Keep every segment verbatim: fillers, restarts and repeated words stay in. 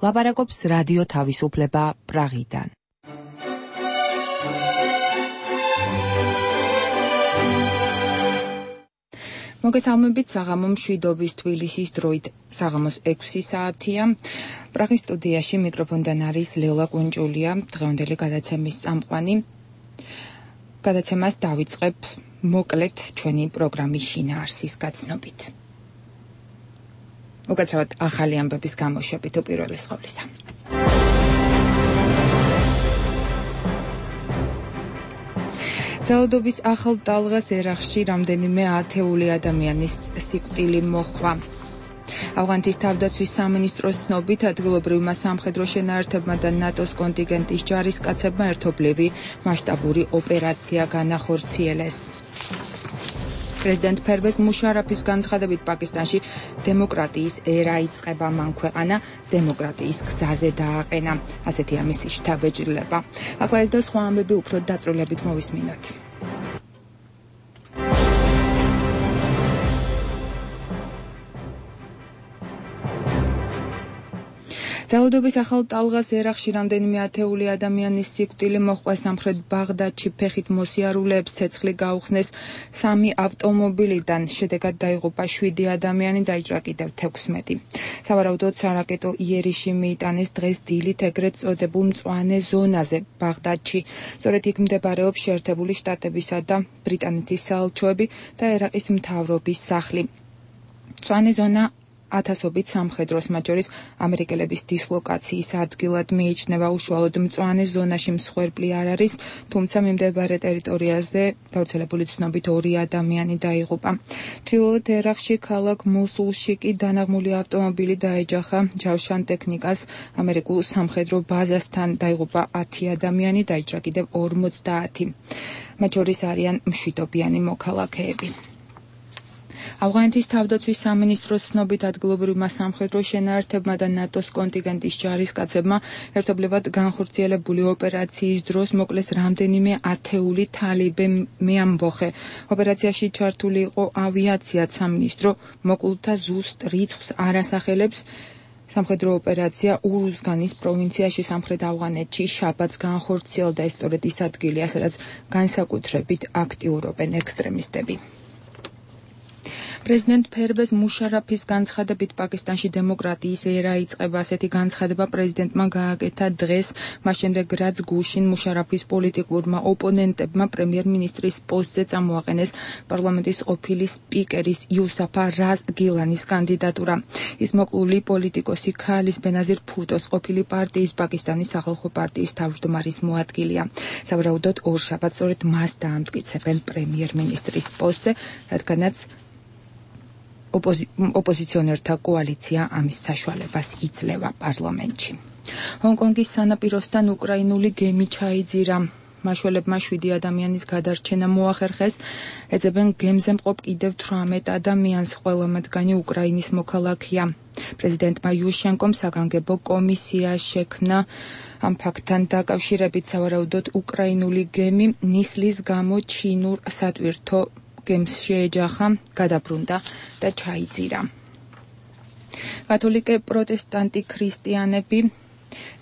ლაპარაკობს რადიო თავისუფლება პრაღიდან. მოგესალმებით საღამო მშვიდობის თბილისის დროით საღამოს ექვსი საათია. პრაღის სტუდიაში მიკროფონიდან არის ლელა კუნჭულია, დღევანდელი გადაცემის წამყვანი. გადაცემას დავიწყებ მოკლედ ჩვენი პროგრამის შინაარსის გაცნობით. უკაცრავად ახალი ამბების გამოშვებით უპირველეს ყოვლისა. ძალადობის ახალ ტალღას ერაყში რამდენიმე ათეული ადამიანის სიკვდილი მოჰყვა. ავღანეთის თავდაცვის სამინისტროს ცნობით ადგილობრივმა სამხედრო შენაერთებმა და ნატოს კონტინგენტის ჯარისკაცებმა ერთობლივი მასშტაბური ოპერაცია განახორციელეს. პრეზიდენტ ფერვეზ მუშარაფის განცხადებით პაკისტანში დემოკრატიის ერა იწყება, მან ქვეყანა დემოკრატიის გზაზე დააყენა. ასეთია მისი შთაბეჭდილება. ახლა ეს და სხვა ამბები უფრო დაწვრილებით მოვისმინოთ. ძალადობის ახალ ტალღას ერაყში რამდენიმე ათეული ადამიანის სიკვდილი მოჰყვა. სამხრეთ ბაღდადში ფეხით მოსიარულეებს ცეცხლი გაუხსნეს სამი ავტომობილიდან. შედეგად დაიღუპა შვიდი ადამიანი, დაიჭრა კიდევ თექვსმეტი. სავარაუდოდ სარაკეტო იერიში მიიტანეს დღეს დილით ეგრეთ წოდებულ მწვანე ზონაზე ბაღდადში. სწორედ იქ მდებარეობს შეერთებული შტატებისა და ბრიტანეთის საელჩოები და ერაყის მთავრობის სახლი. მწვანე ზონა ათასობით სამხედროს, მათ შორის ამერიკელების დისლოკაციის ადგილად მიიჩნევა. უშუალოდ მწვანე ზონაში მსხვერპლი არ არის, თუმცა მიმდებარე ტერიტორიაზე გავრცელებული ცნობით ორი ადამიანი დაიღუპა. ჩრდილოეთ ერაყში ქალაქ მოსულში კი დანაღმული ავტომობილი დაეჯახა ჯავშან ტექნიკას ამერიკულ სამხედრო ბაზასთან. დაიღუპა ათი ადამიანი, დაიჭრა კიდევ ორმოცდაათი. მათ შორის არიან მშვიდობიანი მოქალაქეები. ავღანეთის თავდაცვის სამინისტროს ცნობით ადგილობრივმა სამხედრო შენაერთებმა და ნატოს კონტინგენტის ჯარისკაცებმა ერთობლივად განხორციელებული ოპერაციის დროს მოკლეს რამდენიმე ათეული თალიბე მეამბოხე. ოპერაციაში ჩართული იყო ავიაციაც. სამინისტრო მოკლულთა ზუსტ რიცხვს არ ასახელებს. სამხედრო ოპერაცია ურუზგანის პროვინციაში სამხრეთ ავღანეთში შაბათს განხორციელდა. ეს სწორედ ის ადგილია, სადაც განსაკუთრებით აქტიურობენ ექსტრემისტები. პრეზიდენტ ფერვეზ მუშარაფის განცხადებით პაკისტანში დემოკრატიის ერა იწყება. ასეთი განცხადება პრეზიდენტმა გააკეთა დღეს, მას შემდეგ რაც გუშინ მუშარაფის პოლიტიკურმა ოპონენტებმა პრემიერ-მინისტრის პოსტზე წამოაყენეს პარლამენტის ყოფილი სპიკერის იუსაფა რაზ გილანის კანდიდატურა. ის მოკლული პოლიტიკოსი ქალის ბენაზირ ფუტოს ყოფილი პარტიის პაკისტანის სახალხო პარტიის თავმჯდომარის მოადგილეა. სავარაუდოდ ორშაბათს სწორედ მას დაამტკიცებენ პრემიერ-მინისტრის პოსტზე, რადგანაც ოპოზი... ოპოზიციონერთა კოალიცია ამის საშუალებას იძლევა პარლამენტში. ჰონკონგის სანაპიროსთან უკრაინული გემი ჩაიძირა. მაშველებმა შვიდი ადამიანის გადარჩენა მოახერხეს. ეძებენ გემზე მყოფ კიდევ თვრამეტ ადამიანს, ყველა მათგანი უკრაინის მოქალაქეა. პრეზიდენტმა იუშენკომ საგანგებო კომისია შექმნა ამ ფაქტთან დაკავშირებით. სავარაუდოდ უკრაინული გემი ნისლის გამო ჩინურ სატვირთო გემს შეეჯახა, გადაბრუნდა და ჩაიძირა. კათოლიკე პროტესტანტი ქრისტიანები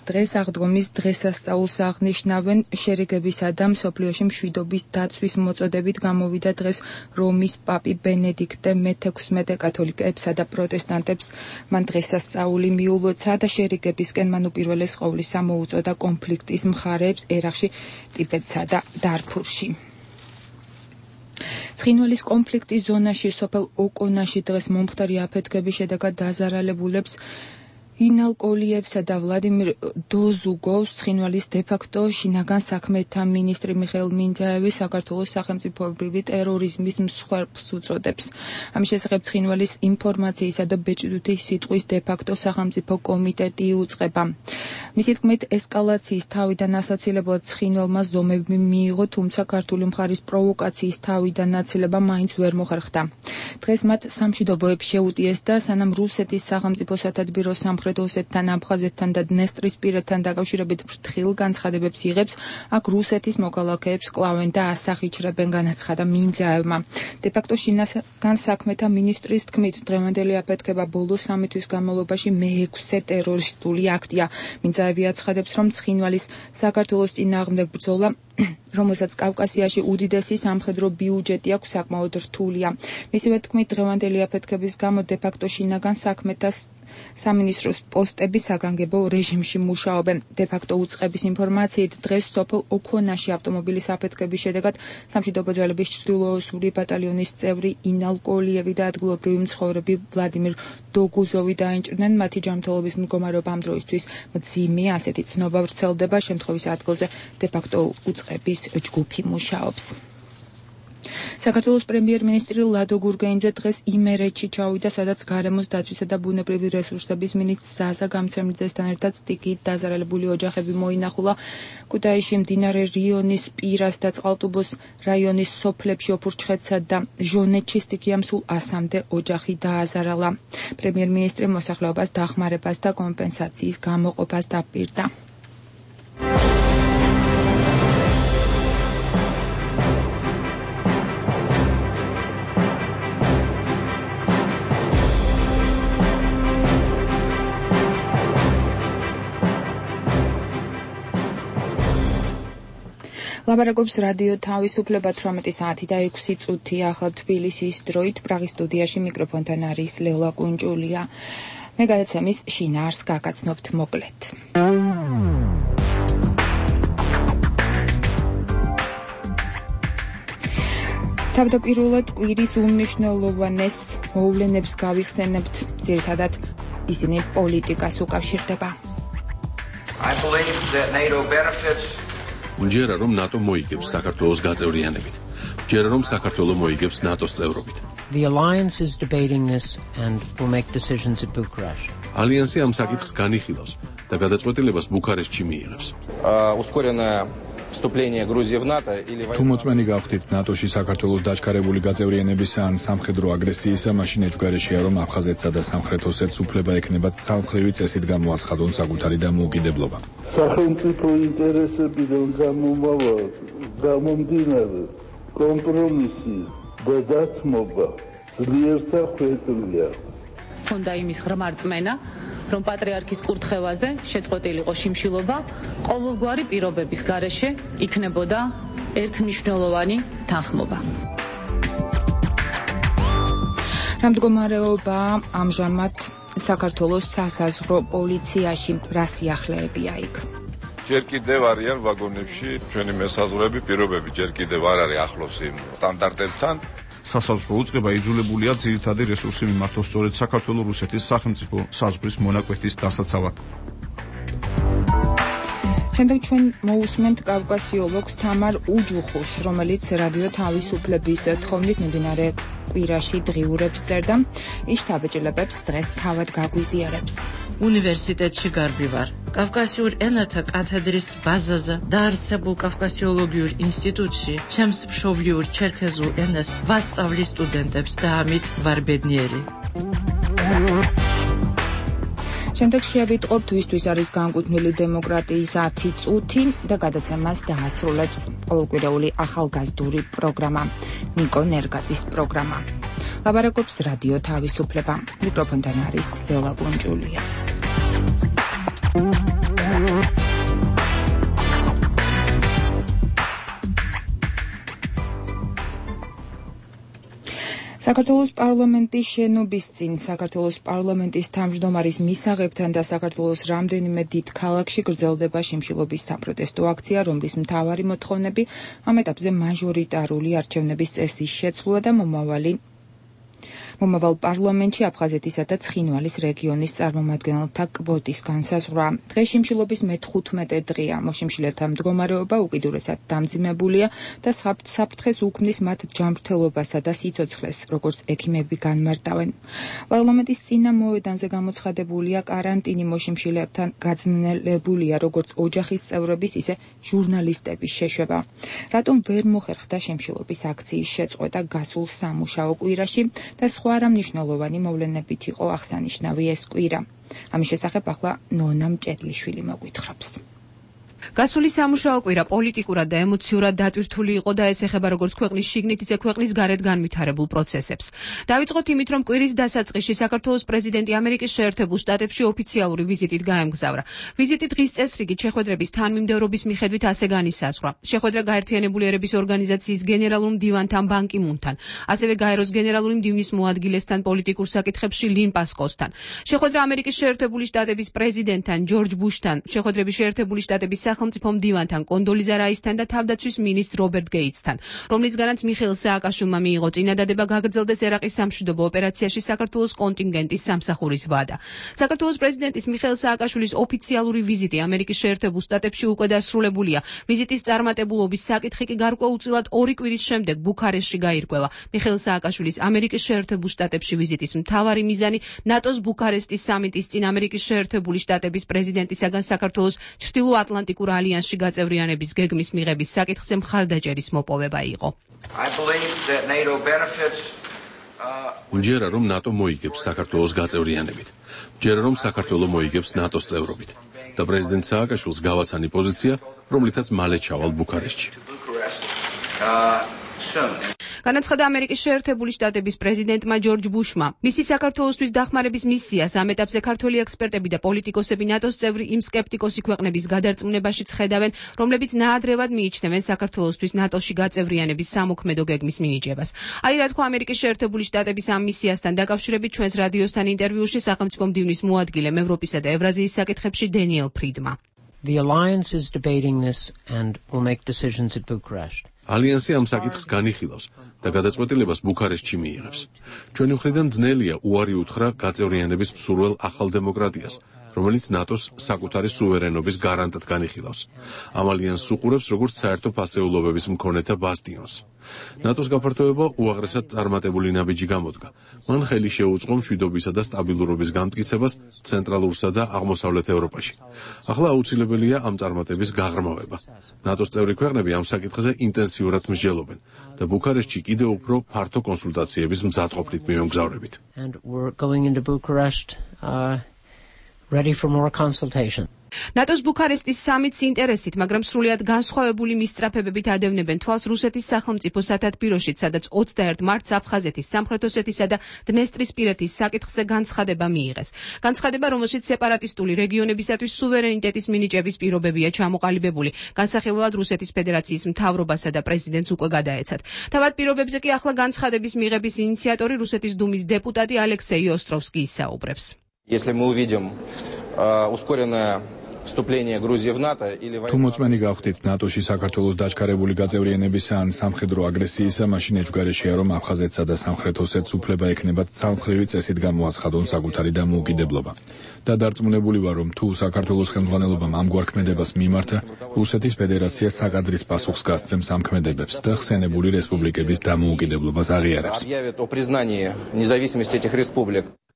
დღეს აღდგომის დღესასწაულს აღნიშნავენ. შერიგებისა და მსოფლიოში მშვიდობის დაცვის მოწოდებით გამოვიდა დღეს რომის პაპი ბენედიქტე მეთექვსმეტე. კათოლიკეებსა და პროტესტანტებს მან დღესასწაული მიულოცა და შერიგებისკენ მან უპირველეს ყოვლისა მოუწოდა კონფლიქტის მხარეებს ერაყში, ტიბეტსა და დარფურში. ცხინვალის კონფლიქტის ზონაში სოფელ ოკონაში დღეს მომხდარი აფეთქების შედეგად დაზარალებულებს ინალ კოლიევსა და ვლადიმირ დოზუგოვს ცხინვალის დე-ფაქტო შინაგან საქმეთა მინისტრი მიხეილ მინძაევი საქართველოს სახელმწიფოებრივი ტერორიზმის მსხვერპლს უწოდებს. ამის შესახებ ცხინვალის ინფორმაციისა და ბეჭდვითი სიტყვის დე-ფაქტო სახელმწიფო კომიტეტი იუწყება. მისი თქმით, ესკალაციის თავიდან ასაცილებლად ცხინვალმა ზომები მიიღო, თუმცა ქართული მხარის პროვოკაციის თავიდან აცილება მაინც ვერ მოხერხდა. დღეს მათ სამშვიდობოებს შეუტიეს და სანამ რუსეთის სახელმწიფო სათადბირო სამხრეთ სამხრეთ ოსეთთან, აფხაზეთთან და დნესტრისპირეთთან დაკავშირებით ფრთხილ განცხადებებს იღებს, აქ რუსეთის მოქალაქეებს კლავენ და ასახიჩრებენ, განაცხადა მინძაევმა. დე-ფაქტო შინაგან საქმეთა მინისტრის თქმით, დღევანდელი აფეთქება ბოლო სამი თვის განმავლობაში მეექვსე ტერორისტული აქტია. მინძაევი აცხადებს, რომ ცხინვალის საქართველოს წინააღმდეგ ბრძოლა, რომელსაც კავკასიაში უდიდესი სამხედრო ბიუჯეტი აქვს, საკმაოდ რთულია. მისივე თქმით, დღევანდელი აფეთქების გამო დე-ფაქტო შინაგან საქმეთა სამინისტროს პოსტები საგანგებო რეჟიმში მუშაობენ. დე-ფაქტო უწყების ინფორმაციით, დღეს სოფელ ოქონაში ავტომობილის აფეთქების შედეგად სამშვიდობო ძალების ჩრდილოოსური ბატალიონის წევრი ინალ კოლიევი და ადგილობრივი მცხოვრები ვლადიმირ დოგუზოვი დაინჭრნენ. მათი ჯანმრთელობის მდგომარეობა ამ დროისთვის მძიმე, ასეთი ცნობა ვრცელდება. შემთხვევის ადგილზე დე-ფაქტო უწყების ჯგუფი მუშაობს. საქართველოს პრემიერ-მინისტრი ლადო გურგეინძე დღეს იმერეთში ჩავიდა, სადაც გარემოს დაცვისა და ბუნებრივი რესურსების მინისტრ ზაზა გამცემლიძესთან ერთად სტიქიით დაზარალებული ოჯახები მოინახულა. ქუთაისში მდინარე რიონის პირას და წყალტუბოს რაიონის სოფლებში ოფურჩხეთსა და ჟონეთში სტიქიამ სულ ასამდე ოჯახი დააზარალა. პრემიერ-მინისტრი მოსახლეობას დახმარებას და კომპენსაციის გამოყოფას დაპირდა. ლაპარაკობს რადიო თავისუფლება თვრამეტი საათი და ექვსი წუთი ახლა თბილისის დროით. პრაღის სტუდიაში მიკროფონთან არის ლელა კუნჭულია. მე გადაცემის შინაარს გაგაცნობთ მოკლედ. თავდაპირველად კვირის უმნიშვნელოვანეს მოვლენებს გავიხსენებთ, ძირითადად ისინი პოლიტიკას უკავშირდება. I believe that NATO benefits მჯერა რომ ნატო მოიგებს საქართველოს გაწევრიანებით. მჯერა რომ საქართველო მოიგებს ნატოს წევრობით. The alliance is debating this and will make decisions at Bucharest. ალიანსი ამ საკითხს განიხილავს და გადაწყვეტილებას ბუქარესტში მიიღებს. ускоренное вступление Грузии в НАТО или თუ მოწმენი გავხდით ნატოში საქართველოს დაჩქარებული გაწევრიანებისა ან სამხედრო აგრესიისა, მაშინ ეჭვგარეშეა რომ აფხაზეთსა და სამხრეთ ოსეთს უფლება ექნებათ ცალმხრივი წესით გამოაცხადონ საკუთარი დამოუკიდებლობა. სახელმწიფო ინტერესებიდან გამომავალ გამომდინარე კომპრომისი და დათმობა ძლიერთა ხვეწლია. თუნდა იმის ღრმა რწმენა, რომ პატრიარქის კურთხევაზე შეწყვეტილიყო შიმშილობა, ყოველგვარი პირობების გარეშე იქნებოდა ერთმნიშვნელოვანი თანხმობა. რა მდგომარეობა ამჟამად საქართველოს სასაზღვრო პოლიციაში, რა სიახლეებია იქ? ჯერ კიდევ არიან ვაგონებში ჩვენი მესაზღვრეები, პირობები ჯერ კიდევ არ არის ახლოს იმ სტანდარტებთან. სასაზღვრო უწყება იძულებულია ძირითადი რესურსი მიმართოს სწორედ საქართველო-რუსეთის სახელმწიფო საზღვრის მონაკვეთის დასაცავად. შემდეგ ჩვენ მოусმენთ კავკასიოლოგს თამარ უჯუხუს, რომელიც რადიო თავისუფლების თხოვნით მიმდინარე კვირაში დღიურებს წერდა. ის შთაბეჭდილებებს დღეს თავად გაგვიზიარებს. უნივერსიტეტში გარბი ვარ. კავკასიურ ენათა კათედრის ბაზაზე დაარსებულ კავკასიოლოგიურ ინსტიტუტში ჩემს მშობლიურ ჩერქეზულ ენას ვასწავლი სტუდენტებს და ამით ვარ ბედნიერი. შემდეგ შევიტყობთ ვისთვის არის განკუთვნილი დემოკრატიის ათი წუთი და გადაცემას დაასრულებს ყოველკვირეული ახალგაზრდული პროგრამა ნიკო ნერგაძის პროგრამა. ლაპარაკობს რადიო თავისუფლება. მიკროფონთან არის ლელა კუნჭულია. საქართველოს პარლამენტის შენობის წინ საქართველოს პარლამენტის თავმჯდომარის მისაღებთან და საქართველოს რამდენიმე დიდ ქალაქში გრძელდება შიმშილობის საპროტესტო აქცია, რომლის მთავარი მოთხოვნები ამ ეტაპზე მაჟორიტარული არჩევნების წესის შეცვლა და მომავალი მომავალ პარლამენტში აფხაზეთისა და ცხინვალის რეგიონის წარმომადგენელთა კვოტის განსაზღვრა. დღეს შიმშილობის მეთხუთმეტე დღეა. მოშიმშილეთა მდგომარეობა უკიდურესად დამძიმებულია და საფრთხეს უქმნის მათ ჯანმრთელობასა და სიცოცხლეს, როგორც ექიმები განმარტავენ. პარლამენტის წინა მოედანზე გამოცხადებულია კარანტინი მოშიმშილეებთან გაძნელებულია როგორც ოჯახის წევრების, ისე ჟურნალისტების შეშვება. რატომ ვერ მოხერხდა შიმშილობის აქციის შეწყვეტა გასულ სამუშაო კვირაში და სხვა სხვა არა მნიშვნელოვანი მოვლენებით იყო აღსანიშნავი ეს კვირა. ამის შესახებ ახლა ნონა მჭედლიშვილი მოგვითხრობს. გასული სამუშაო კვირა პოლიტიკურად და ემოციურად დატვირთული იყო და ეს ეხება როგორც ქვეყნის შიგნით, ისე ქვეყნის გარეთ განვითარებულ პროცესებს. დავიწყოთ იმით, რომ კვირის დასაწყისში საქართველოს პრეზიდენტი ამერიკის შეერთებულ შტატებში ოფიციალური ვიზიტით გაემგზავრა. ვიზიტი დღის წესრიგით შეხვედრების თანმიმდევრობის მიხედვით ასე განისაზღვრა. შეხვედრა გაერთიანებული ერების ორგანიზაციის გენერალურ მდივანთან ბან კი მუნთან, ასევე გაეროს გენერალური მდივნის მოადგილესთან პოლიტიკურ საკითხებში ლინ პასკოსთან. შეხვედრა ამერიკის შეერთებული შტატების პრეზიდენტთან ჯორჯ ბუშთან, შეხვედრები შეერთებული შტატების სახელმწიფო მდივანთან კონდოლიზა რაისთან და თავდაცვის მინისტრ რობერტ გეიცთან, რომლისგანაც მიხეილ სააკაშვილმა მიიღო წინადადება გაგრძელდეს ერაყის სამშვიდობო ოპერაციაში საქართველოს კონტინგენტის სამსახურის ვადა. საქართველოს პრეზიდენტის მიხეილ სააკაშვილის ოფიციალური ვიზიტი ამერიკის შეერთებულ შტატებში უკვე დასრულებულია. ვიზიტის წარმატებულობის საკითხი კი გარკვეულწილად ორი კვირის შემდეგ ბუქარესტში გაირკვევა. მიხეილ სააკაშვილის ამერიკის შეერთებულ შტატებში ვიზიტის მთავარი მიზანი ნატოს ბუქარესტის სამიტის წინ ამერიკის შეერთებული შტატების პრეზიდენტისაგან საქართველოს ჩრდილოატლანტიკურ ალიანსში გაწევრიანების გეგმის მიღების საკითხზე მხარდაჭერის მოპოვება იყო. მჯერა რომ ნატო მოიგებს საქართველოს გაწევრიანებით. მჯერა რომ საქართველო მოიგებს ნატოს წევრობით. და პრეზიდენტ სააკაშვილს გავაცანი პოზიცია, რომლითაც მალე ჩავალ ბუქარესტში. განაცხადა ამერიკის შეერთებული შტატების პრეზიდენტმა ჯორჯ ბუშმა. მისი საქართველოსთვის დახმარების მისიას ამ ეტაპზე ქართველი ექსპერტები და პოლიტიკოსები ნატოს წევრი იმ სკეპტიკოსი ქვეყნების გადარწმუნებაშიც ხედავენ, რომლებიც ნაადრევად მიიჩნევენ საქართველოსთვის ნატოში გაწევრიანების სამოქმედო გეგმის მინიჭებას. აი რა თქვა ამერიკის შეერთებული შტატების ამ მისიასთან დაკავშირებით ჩვენს რადიოსთან ინტერვიუში სახელმწიფო მდივნის მოადგილემ ევროპისა და ევრაზიის საკითხებში დენიელ ფრიდმა. The alliance is debating this and will make decisions at Bucharest. ალიანსი ამ საკითხს განიხილავს და გადაწყვეტილებას ბუქარესტში მიიღებს. ჩვენი მხრიდან ძნელია უარი უთხრა გაწევრიანების მსურველ ახალ დემოკრატიას, რომელიც ნატოს საკუთარი სუვერენობის გარანტად განიხილავს. ამ ალიანსს უყურებს როგორც საერთო ფასეულობების მქონეთა ბასტიონს. ნატოს გაფართოება უაღრესად წარმატებული ნაბიჯი გამოდგა. მან ხელი შეუწყო მშვიდობისა და სტაბილურობის განმტკიცებას ცენტრალურსა და აღმოსავლეთ ევროპაში. ახლა აუცილებელია ამ წარმატების გაღრმავება. ნატოს წევრი ქვეყნები ამ საკითხზე ინტენსიურად მსჯელობენ და ბუქარესტში კიდევ უფრო ფართო კონსულტაციების მზადყოფნით მივემგზავრებით. And we're going into Bucharest uh, ready for more consultation. ნატოს ბუქარესტის სამიტს ინტერესით, მაგრამ სრულიად განსხვავებული მისწრაფებებით ადევნებენ თვალს რუსეთის სახელმწიფო სათათბიროშიც, სადაც ოცდაერთ მარტს აფხაზეთის, სამხრეთ ოსეთის და დნესტრისპირეთის საკითხზე განცხადება მიიღეს. განცხადება, რომელშიც სეპარატისტული რეგიონებისათვის სუვერენიტეტის მინიჭების პირობებია ჩამოყალიბებული. განსახილველად რუსეთის ფედერაციის მთავრობასა და პრეზიდენტს უკვე გადაეცათ. თავად პირობებზე კი ახლა განცხადების მიღების ინიციატორი რუსეთის დუმის დეპუტატი ალექსეი ოსტროვსკი ისაუბრებს. Если мы увидим ускоренное вступление Грузии в НАТО или თუ მოწმენი გავხდით ნატოში საქართველოს დაჩქარებული გაწევრიანებისა ან სამხედრო აგრესიისა, მაშინ ეჭვგარეშეა რომ აფხაზეთსა და სამხრეთ ოსეთს უფლება ექნებათ ცალმხრივი წესით გამოაცხადონ საკუთარი დამოუკიდებლობა. და დარწმუნებული ვარ, რომ თუ საქართველოს ხელმძღვანელობამ ამგვარ ქმედებას მიმართა, რუსეთის ფედერაცია საკადრის პასუხს გასცემს ამ ქმედებებს და ხსენებული რესპუბლიკების დამოუკიდებლობას აღიარებს.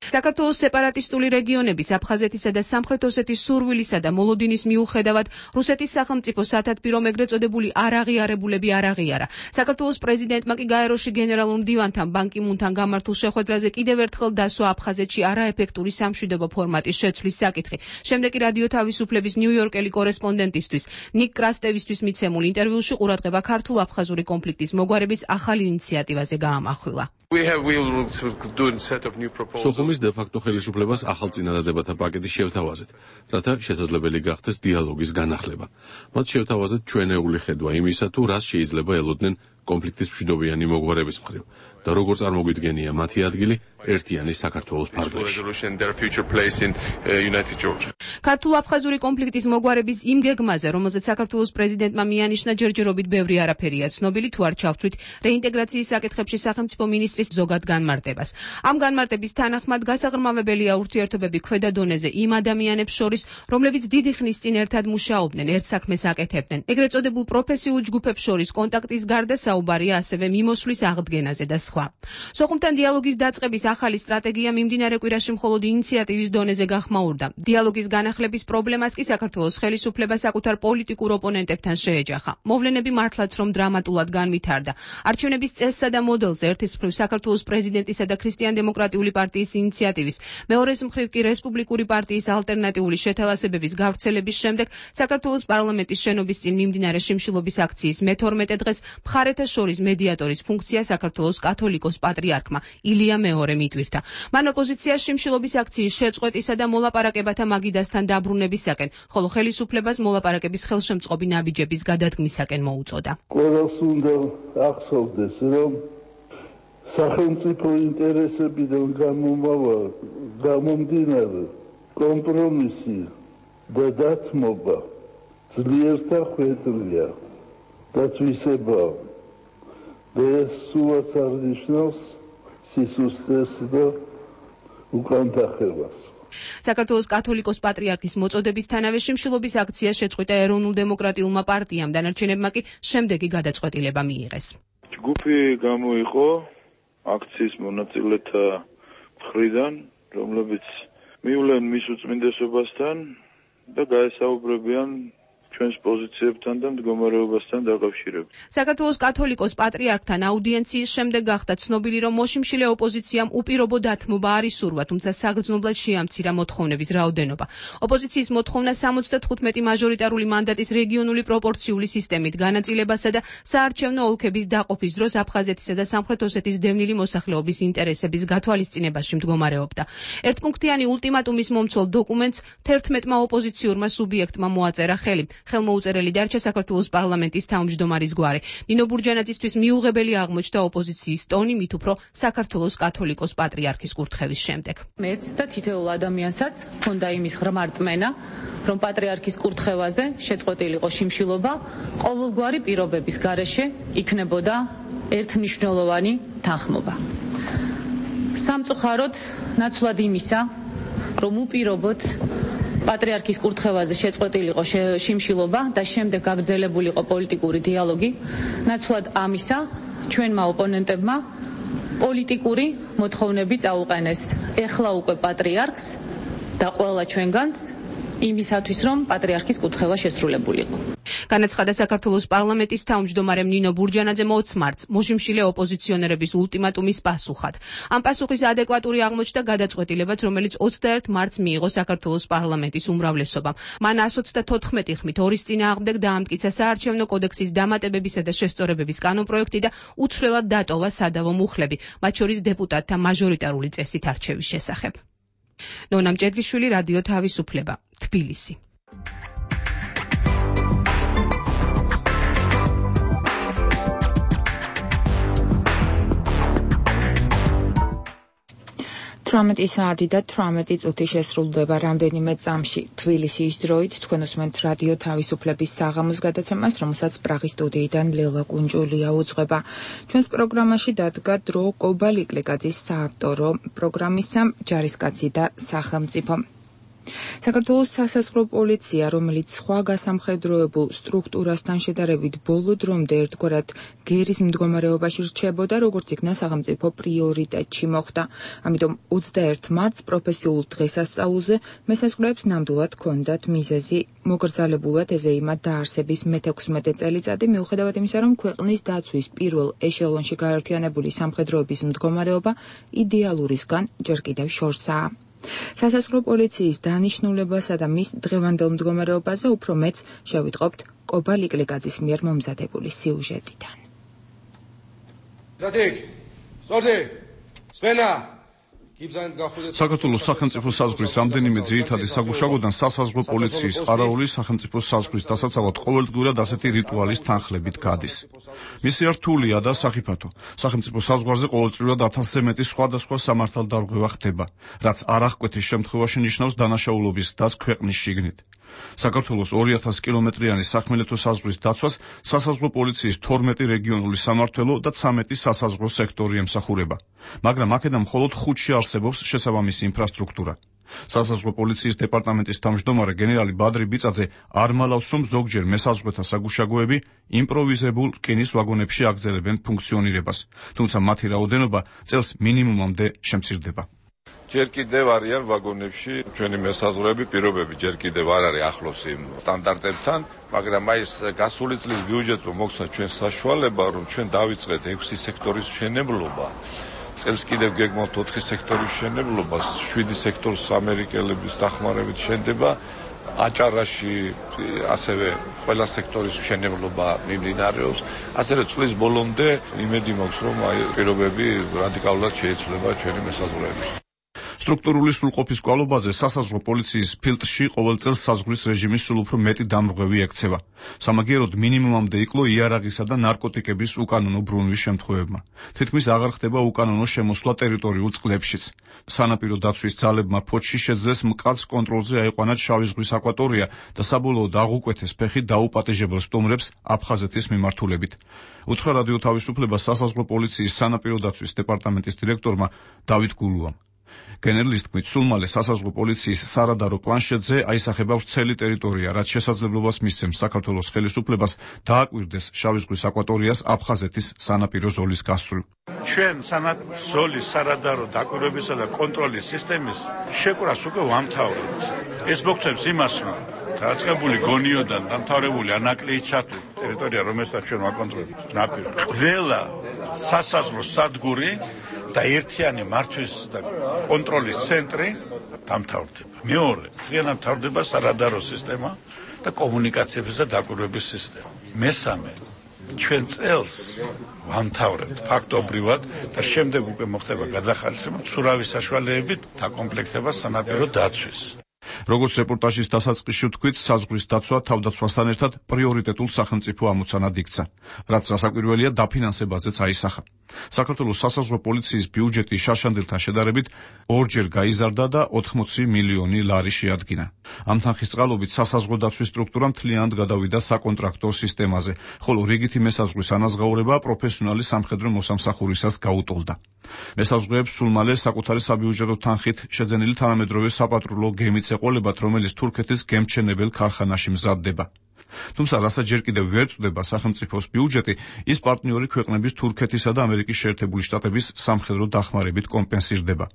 საქართველოს სეპარატისტული რეგიონების აფხაზეთისა და სამხრეთ ოსეთის სურვილისა და მოლოდინის მიუხედავად რუსეთის სახელმწიფო სათათბირო ეგრეთ წოდებული არაღიარებულები არ აღიარა. საქართველოს პრეზიდენტმა კი გაეროში გენერალურ მდივანთან ბან კი მუნთან გამართულ შეხვედრაზე კიდევ ერთხელ დასვა აფხაზეთში არაეფექტური სამშვიდობო ფორმატის შეცვლის საკითხი. შემდეგ კი რადიო თავისუფლების ნიუ-იორკელი კორესპონდენტისთვის ნიკ კრასტევისთვის მიცემულ ინტერვიუში ყურადღება ქართულ-აფხაზური კონფლიქტის მოგვარების ახალ ინიციატივაზე გაამახვილა. სოხუმის დე-ფაქტო ხელისუფლებას ახალ წინადადებათა პაკეტი შევთავაზეთ, რათა შესაძლებელი გახდეს დიალოგის განახლება. მათ შევთავაზეთ ჩვენეული ხედვა იმისა, თუ რას შეიძლება ელოდნენ კონფლიქტის მშვიდობიანი მოგვარების მხრივ და როგორ წარმოგვიდგენია მათი ადგილი ერთიანი საქართველოს ფარგლებში. ქართულ-აფხაზური კონფლიქტის მოგვარების იმ გეგმაზე, რომელზეც საქართველოს პრეზიდენტმა მიანიშნა, ჯერჯერობით ბევრი არაფერია ცნობილი, თუ არ ჩავთვლით რეინტეგრაციის საკითხებში სახელმწიფო მინისტრის ზოგად განმარტებას. ამ განმარტების თანახმად გასაღრმავებელია ურთიერთობები ქვედა დონეზე იმ ადამიანებს შორის, რომლებიც დიდი ხნის წინ ერთად მუშაობდნენ, ერთ საქმეს აკეთებდნენ. ეგრეთ წოდებულ პროფესიულ ჯგუფებს შორის კონტაქტის გარდა საუბარია ასევე მიმოსვლის აღდგენაზე და სხვა. სოხუმთან დიალოგის დაწყების ახალი სტრატეგია მიმდინარე კვირაში მხოლოდ ინიციატივის დონეზე გახმაურდა. დიალოგის განახლების პრობლემას კი საქართველოს ხელისუფლება საკუთარ პოლიტიკურ ოპონენტებთან შეეჯახა. მოვლენები მართლაც რომ დრამატულად განვითარდა. არჩევნების წესსა და მოდელზე ერთის მხრივ საქართველოს პრეზიდენტისა და ქრისტიან-დემოკრატიული პარტიის ინიციატივის, მეორეს მხრივ კი რესპუბლიკური პარტიის ალტერნატიული შეთავაზებების გავრცელების შემდეგ საქართველოს პარლამენტის შენობის წინ მიმდინარე შიმშილობის აქციის მეთორმეტე დღეს მხარეთა შორის მედიატორის ფუნქცია საქართველოს კათოლიკოს პატრიარქმა ილია მეორემ იტვირთა. მან ოპოზიციას შიმშილობის აქციის შეწყვეტისა და მოლაპარაკებათა მაგიდასთან დაბრუნებისაკენ, ხოლო ხელისუფლებას მოლაპარაკების ხელშემწყობი ნაბიჯების გადადგმისაკენ მოუწოდა. ყველას უნდა ახსოვდეს, რომ სახელმწიფო ინტერესებიდან გამომავალ გამომდინარე კომპრომისი და დათმობა ძლიერთა ხვედრია და თვისება და ეს სულაც არ ნიშნავს სისუსტეს და უკანდახევას. საქართველოს კათოლიკოს პატრიარქის მოწოდებისთანავე შიმშილობის აქცია შეწყვიტა ეროვნულ-დემოკრატიულმა პარტიამ, დანარჩენებმა კი შემდეგი გადაწყვეტილება მიიღეს. ჯგუფი გამოიყო აქციის მონაწილეთა მხრიდან, რომლებიც მივლენ მის უწმინდესობასთან და გაესაუბრებიან ჩვენს პოზიციებთან და მდგომარეობასთან დაკავშირებით. საქართველოს კათოლიკოს პატრიარქთან აუდიენციის შემდეგ გახდა ცნობილი, რომ მოშიმშილე ოპოზიციამ უპირობო დათმობა არ ისურვა, თუმცა საგრძნობლად შეამცირა მოთხოვნების რაოდენობა. ოპოზიციის მოთხოვნა სამოცდათხუთმეტი მაჟორიტარული მანდატის რეგიონული პროპორციული სისტემით განაწილებასა და საარჩევნო ოლქების დაყოფის დროს აფხაზეთისა და სამხრეთ ოსეთის დევნილი მოსახლეობის ინტერესების გათვალისწინებაში მდგომარეობდა. ერთპუნქტიანი ულტიმატუმის მომცველ დოკუმენტს თერთმეტმა ოპოზიციურმა სუბიექტმა მოაწერა ხელი. ხელმოუწერელი დარჩა საქართველოს პარლამენტის თავმჯდომარის გვარი. ნინო ბურჯანაძისთვის მიუღებელი აღმოჩნდა ოპოზიციის ტონი, მით უფრო საქართველოს კათოლიკოს პატრიარქის კურთხევის შემდეგ. მეც და თითოეულ ადამიანსაც ჰქონდა იმის ღრმა რწმენა, რომ პატრიარქის კურთხევაზე შეწყვეტილიყო შიმშილობა, ყოველგვარი პირობების გარეშე იქნებოდა ერთმნიშვნელოვანი თანხმობა. სამწუხაროდ ნაცვლად იმისა, რომ უპირობოდ პატრიარქის კურთხევაზე შეწყვეტილიყო შიმშილობა და შემდეგ გაგრძელებულიყო პოლიტიკური დიალოგი, ნაცვლად ამისა ჩვენმა ოპონენტებმა პოლიტიკური მოთხოვნები წაუყენეს ეხლა უკვე პატრიარქს და ყველა ჩვენგანს იმისათვის, რომ პატრიარქის კურთხევა შესრულებულიყო. განაცხადა საქართველოს პარლამენტის თავმჯდომარემ ნინო ბურჯანაძემ ოცი მარტს მოშიმშილე ოპოზიციონერების ულტიმატუმის პასუხად. ამ პასუხის ადეკვატური აღმოჩნდა გადაწყვეტილებაც, რომელიც ოცდაერთ მარტს მიიღო საქართველოს პარლამენტის უმრავლესობამ. მან εκατო ოცდათოთხმეტი ხმით ორის წინააღმდეგ დაამტკიცა საარჩევნო კოდექსის დამატებებისა და შესწორებების კანონპროექტი და უცვლელად დატოვა სადავო მუხლები, მათ შორის დეპუტატთა მაჟორიტარული წესით არჩევის შესახებ. ნონა მჭედლიშვილი, რადიო თავისუფლება, თბილისი. თვრამეტი საათი და თვრამეტი წუთი შესრულდება რამდენიმე წამში თბილისის დროით. თქვენ უსმენთ რადიო თავისუფლების საღამოს გადაცემას, რომელსაც პრაღის სტუდიიდან ლელა კუნჯულია უძღვება. ჩვენს პროგრამაში დადგა დრო კობალიკლეკაძის საავტორო პროგრამისა ჯარისკაცი და სახელმწიფო. საქართველოს სასაზღვრო პოლიცია, რომელიც სხვა გასამხედროებულ სტრუქტურასთან შედარებით ბოლო დრომდე ერთგვარად გერის მდგომარეობაში რჩებოდა, როგორც იქნა სახელმწიფო პრიორიტეტში მოხვდა. ამიტომ ოცდაერთ მარტს პროფესიულ დღესასწაულზე მესაზღვრეებს ნამდვილად ჰქონდათ მიზეზი. მოგრძალებულად ეზეიმა დაარსების მეთექვსმეტე წელიწადი, მიუხედავად იმისა, რომ ქვეყნის დაცვის პირველ ეშელონში გაერთიანებული სამხედროების მდგომარეობა იდეალურისგან ჯერ კიდევ შორსაა. სასაზღვრო პოლიციის დანიშნულებასა და მის დღევანდელ მდგომარეობაზე უფრო მეც შევიტყობთ კობალიკლეკაძის მიერ მომზადებული სიუჟეტიდან. ზადიქ, სწორდი, სვენა. საქართველოს სახელმწიფო საზღვრის რამდენიმე ძირითადი საგუშაგოდან სასაზღვრო პოლიციის ყარაული სახელმწიფო საზღვრის დასაცავად ყოველდღურად ასეთი რიტუალის თანხლებით გადის. მისი რთულია და სახიფათო. სახელმწიფო საზღვარზე ყოველწლიურად ათასზე მეტი სხვადასხვა სამართალდარღვევა ხდება, რაც არაღკვეთის შემთხვევაში ნიშნავს დანაშაულობის დასს ქვეყნის შიგნით. საქართველოს ორი ათასი კილომეტრიანი სახმელეთო საზღვრის დაცვას სასაზღვრო პოლიციის თორმეტი რეგიონული სამმართველო და ცამეტი სასაზღვრო სექტორი ემსახურება, მაგრამ აქედან მხოლოდ ხუთში არსებობს შესაბამისი ინფრასტრუქტურა. სასაზღვრო პოლიციის დეპარტამენტის თავმჯდომარე გენერალი ბადრი ბიწაძე არ მალავს, რომ ზოგჯერ მესაზღვრეთა საგუშაგოები იმპროვიზებულ რკინის ვაგონებში აგრძელებენ ფუნქციონირებას, თუმცა მათი რაოდენობა წელს მინიმუმამდე შემცირდება. ჯერ კიდევ არიან ვაგონებში ჩვენი მესაზღვრეები, პირობები ჯერ კიდევ არ არის ახლოს იმ სტანდარტებთან, მაგრამ აი ეს გასული წლის ბიუჯეტმა მოგცა ჩვენ საშუალება, რომ ჩვენ დავიწყეთ ექვსი სექტორის მშენებლობა. წელს კიდევ გეგმავთ ოთხი სექტორის მშენებლობას, შვიდი სექტორის ამერიკელების დახმარებით შენდება. აჭარაში ასევე ყველა სექტორის მშენებლობა მიმდინარეობს. ასევე წლის ბოლომდე იმედი მაქვს, რომ აი პირობები რადიკალურად შეიცვლება ჩვენი მესაზღვრეების. სტრუქტურული სრულყოფის კვალობაზე სასაზღვრო პოლიციის ფილტრში ყოველ წელს საზღვრის რეჟიმის სულ უფრო მეტი დამრღვევი ექცევა. სამაგიეროდ მინიმუმამდე იკლო იარაღისა და ნარკოტიკების უკანონო ბრუნვის შემთხვევებმა. თითქმის აღარ ხდება უკანონო შემოსვლა ტერიტორიულ წყლებშიც. სანაპირო დაცვის ძალებმა ფოთში შეძლეს მკაცრ კონტროლზე აიყვანათ შავი ზღვის აკვატორია და საბოლოოდ აღუკვეთეს ფეხი დაუპატეჟებელ სტუმრებს აფხაზეთის მიმართულებით. უთხრა რადიო თავისუფლება სასაზღვრო პოლიციის სანაპირო დაცვის დეპარტამენტის დირექტორმა დავით გულუამ. გენერლის თქმით, სულ მალე სასაზღვრო პოლიციის სარადარო პლანშეტზე აისახება ვრცელი ტერიტორია, რაც შესაძლებლობას მისცემს საქართველოს ხელისუფლებას დააკვირდეს შავი ზღვის აკვატორიას აფხაზეთის სანაპირო ზოლის გასწვრივ. ჩვენ სანაპირო ზოლის სარადარო დაკვირვებისა და კონტროლის სისტემის შეკვრას უკვე ვამთავრებთ. ეს მოგცემს იმას, რომ დაწყებული გონიოდან დამთავრებული ანაკლიის ჩათვლით ტერიტორია, რომელსაც ჩვენ ვაკონტროლებთ, ნაპირ. ყველა სასაზღვრო სადგური და ერთიანი მართვის და კონტროლის ცენტრი დამთავრდება. მეორე, მთლიანად მთავრდება სარადარო სისტემა და კომუნიკაციების და დაკვირვების სისტემა. მესამე, ჩვენ წელს ვამთავრებთ ფაქტობრივად და შემდეგ უკვე მოხდება გადახალისება ცურავის საშუალებებით დაკომპლექტება სანაპირო დაცვის. როგორც რეპორტაჟის დასაწყისში ვთქვით, საზღვრის დაცვა თავდაცვასთან ერთად პრიორიტეტულ სახელმწიფო ამოცანად იქცა, რაც რასაკვირველია დაფინანსებაზეც აისახა. საქართველოს სასაზღვრო პოლიციის ბიუჯეტი შაშანდილთან შედარებით ორჯერ გაიზარდა და ოთხმოცი მილიონი ლარი შეადგინა. ამ თანხის წყალობით სასაზღვრო დაცვის სტრუქტურა მთლიანად გადავიდა საკონტრაქტო სისტემაზე, ხოლო რიგითი მესაზღვრის ანაზღაურება პროფესიონალი სამხედრო მოსამსახურისას გაუტოლდა. მესაზღვრეებს სულ მალე საკუთარი საბიუჯეტო თანხით შეძენილი თანამედროვე საპატრულო გემიც ეყოლებათ, რომელიც თურქეთის გემჩენებელ ქარხანაში მზადდება. თუმცა რასაც ჯერ კიდევ ვერ წვდება სახელმწიფოს ბიუჯეტი, ის პარტნიორი ქვეყნების თურქეთისა და ამერიკის შეერთებული შტატების სამხედრო დახმარებით კომპენსირდება.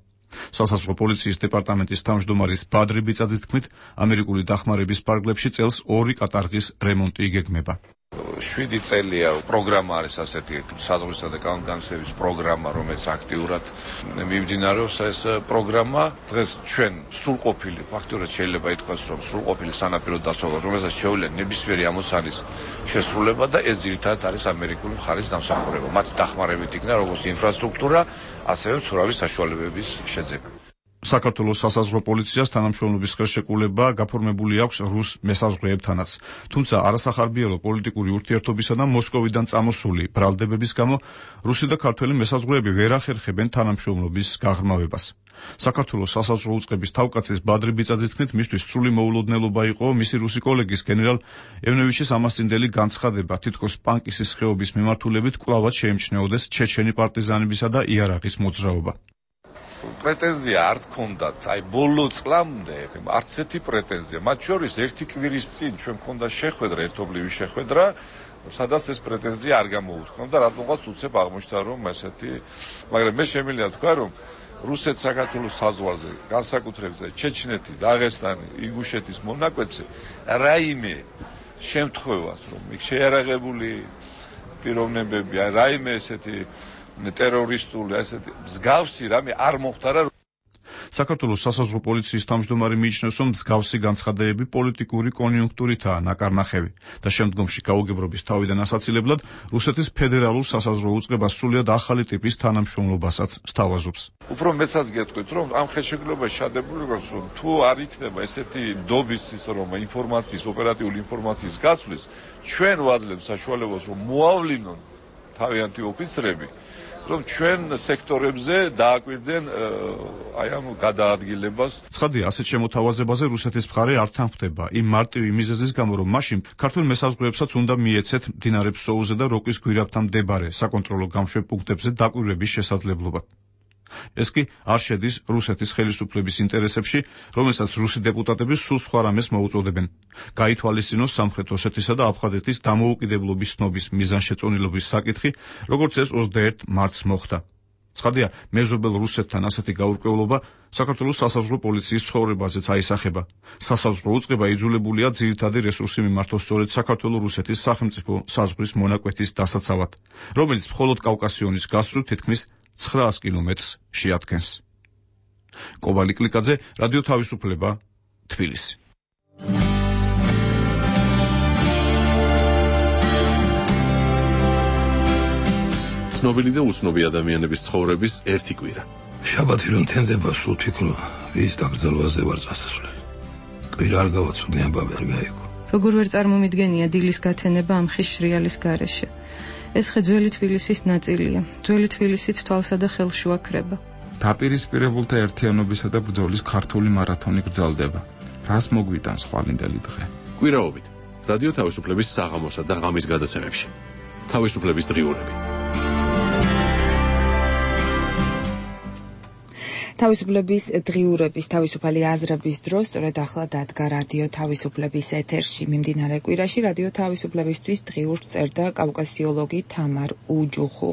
სასაზღვრო პოლიციის დეპარტამენტის თავმჯდომარის ბადრი ბიწაძის თქმით, ამერიკული დახმარების პარკლებში წელს ორი კატარღის რემონტი იგეგმება. შვიდი წელია პროგრამა არის ასეთი საზღვრისა და კანონგანცემის პროგრამა, რომელიც აქტიურად მიმდინარეობს. ეს პროგრამა დღეს ჩვენ სრულყოფილი, ფაქტობრივად შეიძლება ითქვას, რომ სრულყოფილი სანაპირო დაცვა, რომელსაც შეუძლია ნებისმიერი ამოცანის შესრულება და ეს ძირითადად არის ამერიკული მხარის დამსახურება. მათ დახმარებით იქნა როგორც ინფრასტრუქტურა, ასევე მცურავი საშუალებების შეძენა. საქართველოს სასაზღვრო პოლიციას თანამშრომლობის ხელშეკრულება გაფორმებული აქვს რუს მესაზღვრეებთანაც, თუმცა არასახარბიელო პოლიტიკური ურთიერთობისა და მოსკოვიდან წამოსული ბრალდებების გამო რუსი და ქართველი მესაზღვრეები ვერ ახერხებენ თანამშრომლობის გაღრმავებას. საქართველოს სასაზღვრო უწყების თავკაცის ბადრი ბიწაძის თქმით, მისთვის სრული მოულოდნელობა იყო მისი რუსი კოლეგის გენერალ ევნევიჩის ამასწინდელი განცხადება, თითქოს პანკისის ხეობის მიმართულებით კვლავად შეემჩნეოდეს ჩეჩენი პარტიზანებისა და იარაღის მოძრაობა. პრეტენზია არ გქონდათ, აი ბოლო წლამდე არც ერთი პრეტენზია, მათ შორის ერთი კვირის წინ ჩვენ გქონდა შეხვედრა, ერთობლივი შეხვედრა, სადაც ეს პრეტენზია არ გამოუთქვა და რატომღაც უცებ აღმოჩნდა, რომ ესეთი, მაგრამ მე შემიძლია თქვა, რომ რუსეთ-საქართველოს საზღვარზე, განსაკუთრებით ჩეჩნეთი, დაღესტანი, ინგუშეთის მონაკვეთზე რაიმე შემთხვევას, რომ იქ შეიარაღებული პიროვნებები, აი რაიმე ესეთი ტერორისტული ასეთი მსგავსი რამე არ მოხდარა. საქართველოს სასაზღვრო პოლიციის თავმჯდომარე მიიჩნევს, რომ მსგავსი განცხადებები პოლიტიკური კონიუნქტურითაა ნაკარნახევი და შემდგომში გაუგებრობის თავიდან ასაცილებლად რუსეთის ფედერალურ სასაზღვრო უწყებას სრულიად ახალი ტიპის თანამშრომლობასაც სთავაზობს. უფრო მეცაც გეტყვით, რომ ამ ხელშეკრულებაში შადებული გვაქვს, რომ თუ არ იქნება ესეთი დობის ისო რომ ინფორმაციის, ოპერატიული ინფორმაციის გაცვლის, ჩვენ ვაძლევთ საშუალებას, რომ მოავლინონ თავიანთი ოფიცრები, რომ ჩვენ სექტორებზე დააკვირდნენ აი ამ გადაადგილებას. ცხადია, ასეთ შემოთავაზებაზე რუსეთის მხარე არ თანხმდება იმ მარტივი მიზეზის გამო, რომ მაშინ ქართულ მესაზღვრეებსაც უნდა მიეცეთ მდინარე ფსოუზე და როკის გვირაბთან მდებარე საკონტროლო გამშვებ პუნქტებზე დაკვირვების შესაძლებლობა. ეს კი არ შედის რუსეთის ხელისუფლების ინტერესებში, რომელსაც რუსი დეპუტატები სულ სხვა რამეს მოუწოდებენ. გაითვალისწინოს სამხრეთ ოსეთისა და აფხაზეთის დამოუკიდებლობის ცნობის მიზანშეწონილობის საკითხი, როგორც ეს ოცდაერთ მარტს მოხდა. ცხადია, მეზობელ რუსეთთან ასეთი გაურკვევლობა საქართველოს სასაზღვრო პოლიციის ცხოვრებაზეც აისახება. სასაზღვრო უწყება იძულებულია ძირითადი რესურსი მიმართოს სწორედ საქართველო-რუსეთის სახელმწიფო საზღვრის მონაკვეთის დასაცავად, რომელიც მხოლოდ კავკასიონის გასწვრივ თითქმის ცხრაას კილომეტრს შეადგენს. კობალი კლიკაძე, რადიო თავისუფლება, თბილისი. ცნობილი და უცნობი ადამიანების ცხოვრების ერთი კვირა. შაბათი რომ თენდება, სულ ფიქრო, ვის დაკრძალვაზე ვარ წასასვლელი. კვირა არ გავაცნობ, აბა ვერ გაიგო. როგორ ვერ წარმომიდგენია დილის გათენება ამ ხის შრიალის გარეშე. ეს ხე ძველი თბილისის ნაწილია. ძველი თბილისით თვალსა და ხელს უაქრება. დაპირისპირებულთა ერთიანობისა და ბრძოლის ქართული მარათონი გრძელდება. რას მოგვიტანს ხვალინდელი დღე? კვირაობით რადიო თავისუფლების საღამოსა და ღამის გადაცემებში. თავისუფლების დღიურები. თავისუფლების დღიურების თავისუფალი აზრების დროს სწორედ ახლა დადგა რადიო თავისუფლების ეთერში. მიმდინარე კვირაში რადიო თავისუფლებისთვის დღიურს წერდა კავკასიოლოგი თამარ უჯუხუ.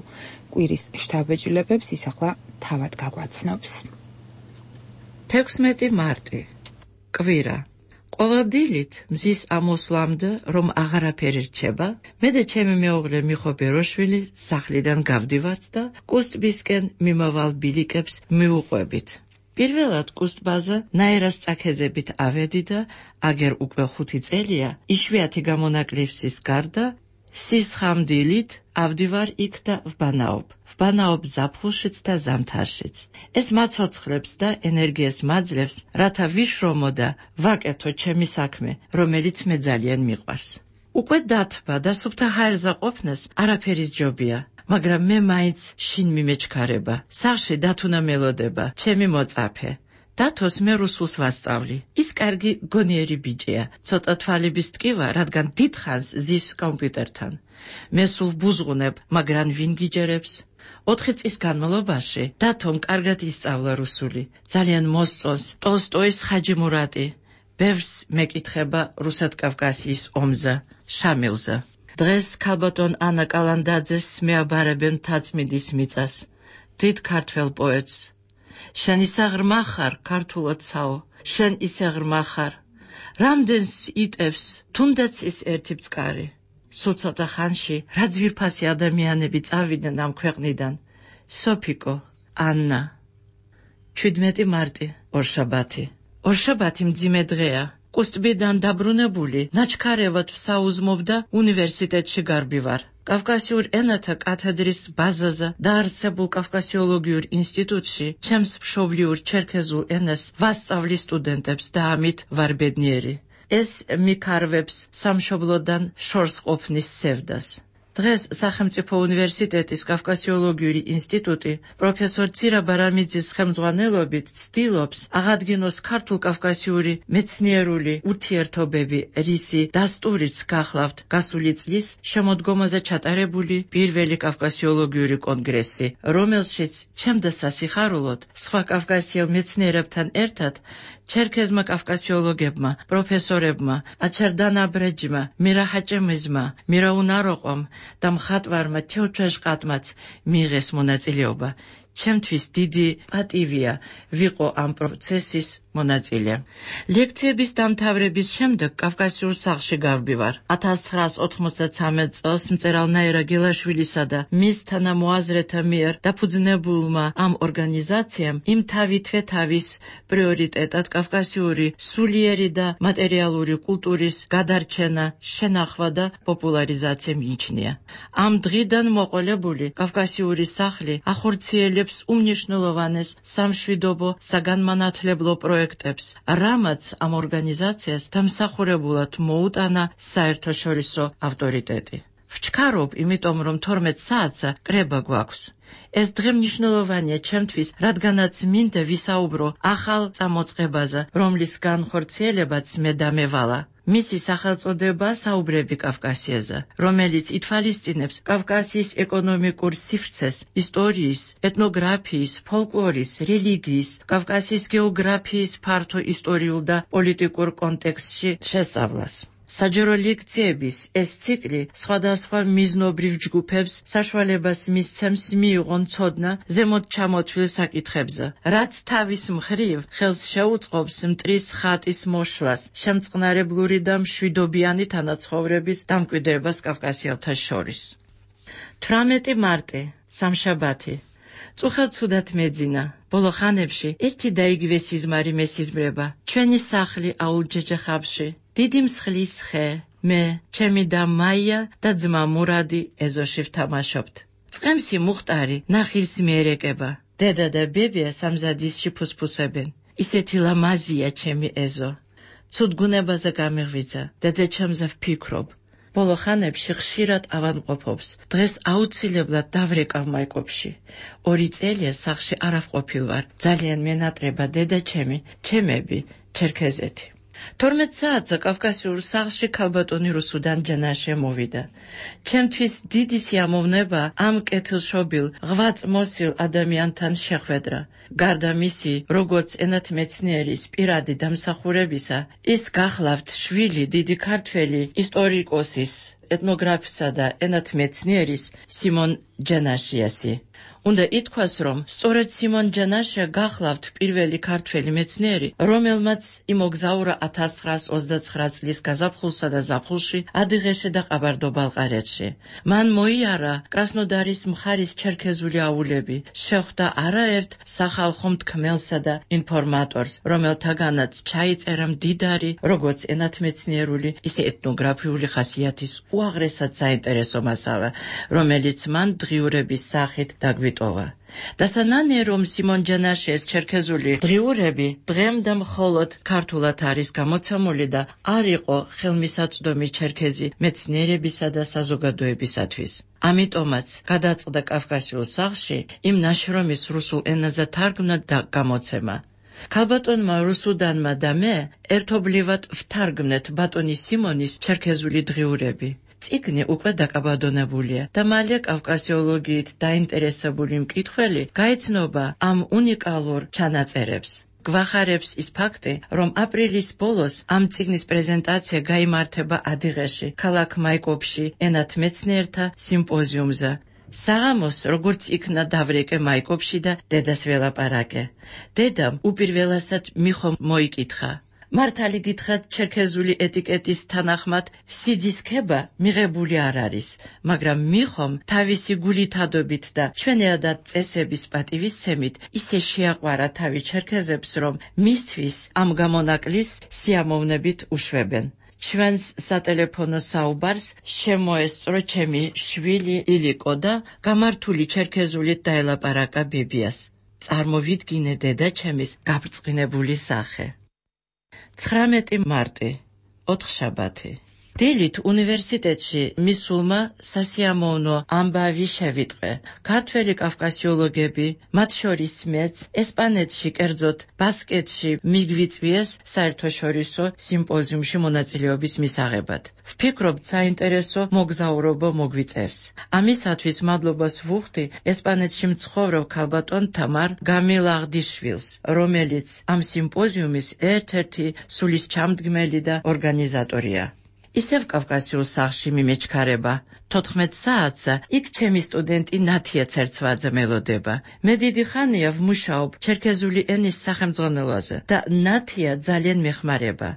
კვირის შთაბეჭდილებებს ის ახლა თავად გაგვაცნობს. თექვსმეტი მარტი. კვირა. ყოველ დილით მზის ამოსვლამდე, რომ აღარაფერი რჩება, მე და ჩემი მეუღლე მიხო ბეროშვილი სახლიდან გავდივართ და კუსტბისკენ მიმავალ ბილიკებს მივუყვებით. პირველად კუსტბაზე ნაერას წაქეზებით ავედი და აგერ უკვე ხუთი წელია, იშვიათი გამონაკლისის გარდა სისხამდილით ავდივარ იქ და ვბანაობ. ვბანაობ ზაფხულშიც და ზამთარშიც. ეს მაცოცხლებს და ენერგიას მაძლევს, რათა ვიშრომო და ვაკეთო ჩემი საქმე, რომელიც მე ძალიან მიყვარს. უკვე დათბა და სუფთა ჰაერზე ყოფნას არაფერის ჯობია, მაგრამ მე მაინც შინ მიმეჩქარება. სახლში დათუნა მელოდება, ჩემი მოწაფე. დათოს მე რუსულს ვასწავლი. ის კარგი გონიერი ბიჭია, ცოტა თვალების ტკივა, რადგან დიდხანს ზის კომპიუტერთან. მე სულ ბუზღუნებ, მაგრამ ვინ გიჯერებს? ოთხი წლის განმავლობაში დათომ კარგად ისწავლა რუსული. ძალიან მოსწონს ტოლსტოის ხაჯი მურატი. ბევრს მეკითხება რუსეთ-კავკასიის ომზე, შამილზე. დღეს ქალბატონ ანა კალანდაძეს მეაბარებენ თაწმიდის მიწას. დიდ ქართველ პოეტს. შენ ისე ღრმა ხარ, ქართულოცაო, შენ ისე ღრმა ხარ. რამდენს იტევს, თუნდაც ის ერთი მწყარი. სულ ცოტა ხანში რა ძვირფასი ადამიანები წავიდნენ ამ ქვეყნიდან. სოფიკო, ანნა. ჩვიდმეტი მარტი, ორშაბათი. ორშაბათი მძიმე დღეა. კუსტბიდან დაბრუნებული, ნაჩქარევად ვსაუზმობდა უნივერსიტეტში გარბივარ. კავკასიურ ენათა კათედრის ბაზაზე დაარსებულ კავკასიოლოგიურ ინსტიტუტში ჩემს მშობლიურ ჩერქეზულ ენას ვასწავლი სტუდენტებს და ამით ვარ ბედნიერი. ეს მიქარვებს სამშობლოდან შორს ყოფნის სევდას. დღეს სახელმწიფო უნივერსიტეტის კავკასიოლოგიური ინსტიტუტი პროფესორ ცირა ბარამიძის ხელმძღვანელობით ცდილობს აღადგინოს ქართულ-კავკასიური მეცნიერული ურთიერთობები, რისი დასტურიც გახლავთ გასული წლის შემოდგომაზე ჩატარებული პირველი კავკასიოლოგიური კონგრესი, რომელშიც ჩემდა სასიხარულოდ სხვა კავკასიელ მეცნიერებთან ერთად ჩერქეზმა კავკასიოლოგებმა, პროფესორებმა, აჩერდანა ბრეჯმა, მირაჰაჭემიზმა, მირაუნაროყომ და მხატვარმა თეოჩეშყატმაც მიიღეს მონაწილეობა. ჩემთვის დიდი პატივია ვიყო ამ პროცესის მონაწილე. ლექციების დამთავრების შემდეგ კავკასიურ სახლში გავდივარ. ათას ცხრაას ოთხმოცდათვრამეტ წელს მწერალ ნაირა გელაშვილისა და მის თანამოაზრეთა მიერ დაფუძნებულმა ამ ორგანიზაციამ იმ თავითვე თავის პრიორიტეტად კავკასიური სულიერი და მატერიალური კულტურის გადარჩენა, შენახვა და პოპულარიზაცია მიიჩნია. ამ დღიდან მოყოლებული კავკასიური სახლი ახორციელებს უმნიშვნელოვანეს სამშვიდობო საგანმანათლებლო პროექტებს, რამაც ამ ორგანიზაციას დამსახურებულად მოუტანა საერთაშორისო ავტორიტეტი. ვჩქარობ, იმიტომ რომ თორმეტ საათზე კრება გვაქვს. ეს დღე მნიშვნელოვანია ჩემთვის, რადგანაც მინდა ვისაუბრო ახალ წამოწყებაზე, რომლის განხორციელებაც მე დამევალა. მისი სახელწოდება საუბრები კავკასიაზე, რომელიც ითვალისწინებს კავკასიის ეკონომიკურ სივრცეს, ისტორიის, ეთნოგრაფიის, ფოლკლორის, რელიგიის, კავკასიის გეოგრაფიის ფართო ისტორიულ და პოლიტიკურ კონტექსტში შესწავლას. საჯარო ლექციების ეს ციკლი სხვადასხვა მიზნობრივ ჯგუფებს საშუალებას მისცემს მიიღონ ცოდნა ზემოთ ჩამოთვლილ საკითხებზე, რაც თავის მხრივ ხელს შეუწყობს მტრის ხატის მოშლას, შემწყნარებლური და მშვიდობიანი თანაცხოვრების დამკვიდრებას კავკასიელთა შორის. თვრამეტი მარტი, სამშაბათი. წუხელცუდად მეძინა. ბოლო ხანებში ერთი და იგივე სიზმარი მესიზმრება. ჩვენი სახლი აულჯეჯეხაბში. დიდი მსხლის ხე, მე, ჩემი და მაია და ძმა მურადი ეზოში ვთამაშობთ. წყემსი მუხტარი ნახილს მიერეკება. დედა და ბებია სამზადისში ფუსფუსებენ. ისეთი ლამაზია ჩემი ეზო. ცუდ გუნებაზე გამიღვიძა. დედაჩემზე ვფიქრობ. ბოლო ხანებში ხშირად ავადმყოფობს. დღეს აუცილებლად დავრეკავ მაიკოპში. ორი წელია სახლში არ ავყოფილ ვარ. ძალიან მენატრება დედაჩემი, ჩემები, ჩერქეზეთი. თორმეტ საათზე კავკასიურ სახლში ქალბატონი რუსუდან ჯანაშე მოვიდა. ჩემთვის დიდი სიამოვნება ამ კეთილშობილ, ღვაწმოსილ ადამიანთან შეხვედრა. გარდა მისი, როგორც ენათმეცნიერის პირადი დამსახურებისა, ის გახლავთ შვილი დიდი ქართველი ისტორიკოსის, ეთნოგრაფისა და ენათმეცნიერის სიმონ ჯანაშიასი. უნდა ითქვას, რომ სწორედ სიმონ ჯანაშია გახლავთ პირველი ქართველი მეცნიერი, რომელმაც იმოგზაურა ათას ცხრაას ოცდაცხრა წლის გაზაფხულსა და ზაფხულში ადიღეში და ყაბარდო-ბალყარეთში. მან მოიარა კრასნოდარის მხარის ჩერქეზული აულები, შეხვდა არაერთ სახალხო მთქმელსა და ინფორმატორს, რომელთაგანაც ჩაიწერა მდიდარი, როგორც ენათმეცნიერული, ისე ეთნოგრაფიული ხასიათის უაღრესად საინტერესო მასალა, რომელიც მან დღიურების სახით დაგვიტოვა. დასანანე რომ სიმონ ჯანაშიას ჩერქეზული დღიურები დღემდე მხოლოდ ქართულად არის გამოცემული და არ იყო ხელმისაწვდომი ჩერქეზი მეცნიერებისა და საზოგადოებისათვის. ამიტომაც გადაწყდა კავკასიურ სახლში იმ ნაშრომის რუსულ ენაზე თარგმნა და გამოცემა. ქალბატონმა რუსუდანმა და მე ერთობლივად ვთარგმნეთ ბატონი სიმონის ჩერქეზული დღიურები. წიგნი უკვე დაკაბადონებულია და მალე კავკასიოლოგიით დაინტერესებული მკითხველი გაეცნობა ამ უნიკალურ ჩანაწერებს. გვახარებს ის ფაქტი, რომ აპრილის ბოლოს ამ წიგნის პრეზენტაცია გაიმართება ადიღეში, ქალაქ მაიკოპში, ენათმეცნიერთა სიმპოზიუმზე. საღამოს, როგორც იქნა დავრეკე მაიკოპში და დედას ველაპარაკე. დედამ უპირველესად მიხო მოიკითხა. მართალი გითხრათ, ჩერქეზული ეტიკეტის თანახმად სიძისქება მიღებული არ არის, მაგრამ მიხომ თავისი გულითადობით და ჩვენადად წესების პატივისცემით ისე შეაყვარა თავი ჩერქეზებს, რომ მისთვის ამ გამონაკლის სიამოვნებით უშვებენ. ჩვენს სატელეფონო საუბარს შემოესწრო ჩემი შვილი ილიკო და გამართული ჩერქეზულით დაელაპარაკა ბებიას. წარმოვიდგინე დედაჩემის გაბრწყინებული სახე. ცხრამეტი მარტი, ოთხშაბათი. დილით უნივერსიტეტში მისულმა სასიამოვნო ამბავი შევიტყვე. ქართველი კავკასიოლოგები, მათ შორის მეც, ესპანეთში, კერძოდ ბასკეთში მიგვიწვიეს საერთაშორისო სიმპოზიუმში მონაწილეობის მისაღებად. ვფიქრობთ, საინტერესო მოგზაურობა მოგვიწევს. ამისათვის მადლობას ვუხდი ესპანეთში მცხოვრებ ქალბატონ თამარ გამილაღდიშვილს, რომელიც ამ სიმპოზიუმის ერთ-ერთი სულისჩამდგმელი და ორგანიზატორია. ისევ კავკასიურ სახლში მიმეჩქარება. თოთხმეტ საათზე იქ ჩემი სტუდენტი ნათია ცერცვაძე მელოდება. მე დიდი ხანია ვმუშაობ ჩერქეზული ენის სახელმძღვანელოზე და ნათია ძალიან მეხმარება.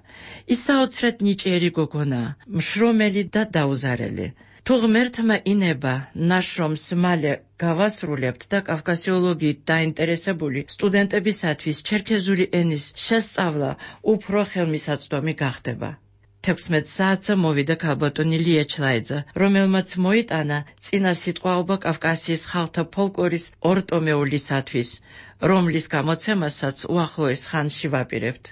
ის საოცრად ნიჭიერი გოგონაა, მშრომელი და დაუზარელი. თუ ღმერთმა ინება ნაშრომს მალე გავასრულებთ და კავკასიოლოგიით დაინტერესებული სტუდენტებისათვის ჩერქეზული ენის შესწავლა უფრო ხელმისაწვდომი გახდება. თექვსმეტ საათზე მოვიდა ქალბატონი ლია ჩლაიძე, რომელმაც მოიტანა წინა სიტყვაობა კავკასიის ხალხთა ფოლკლორის ორტომეულისათვის, რომლის გამოცემასაც უახლოეს ხანში ვაპირებთ.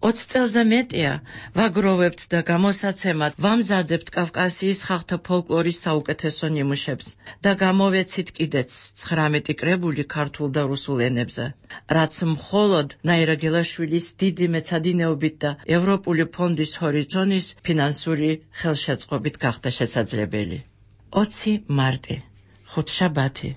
ოცი წელზე მეტია ვაგროვებთ და გამოსაცემად ვამზადებთ კავკასიის ხალხთა ფოლკლორის საუკეთესო ნიმუშებს და გამოვეცით კიდეც ცხრამეტი კრებული ქართულ და რუსულ ენებზე, რაც მხოლოდ ნაირა გელაშვილის დიდი მეცადინეობით და ევროპული ფონდის ჰორიზონის ფინანსური ხელშეწყობით გახდა შესაძლებელი. ოცი მარტი, ხუთშაბათი.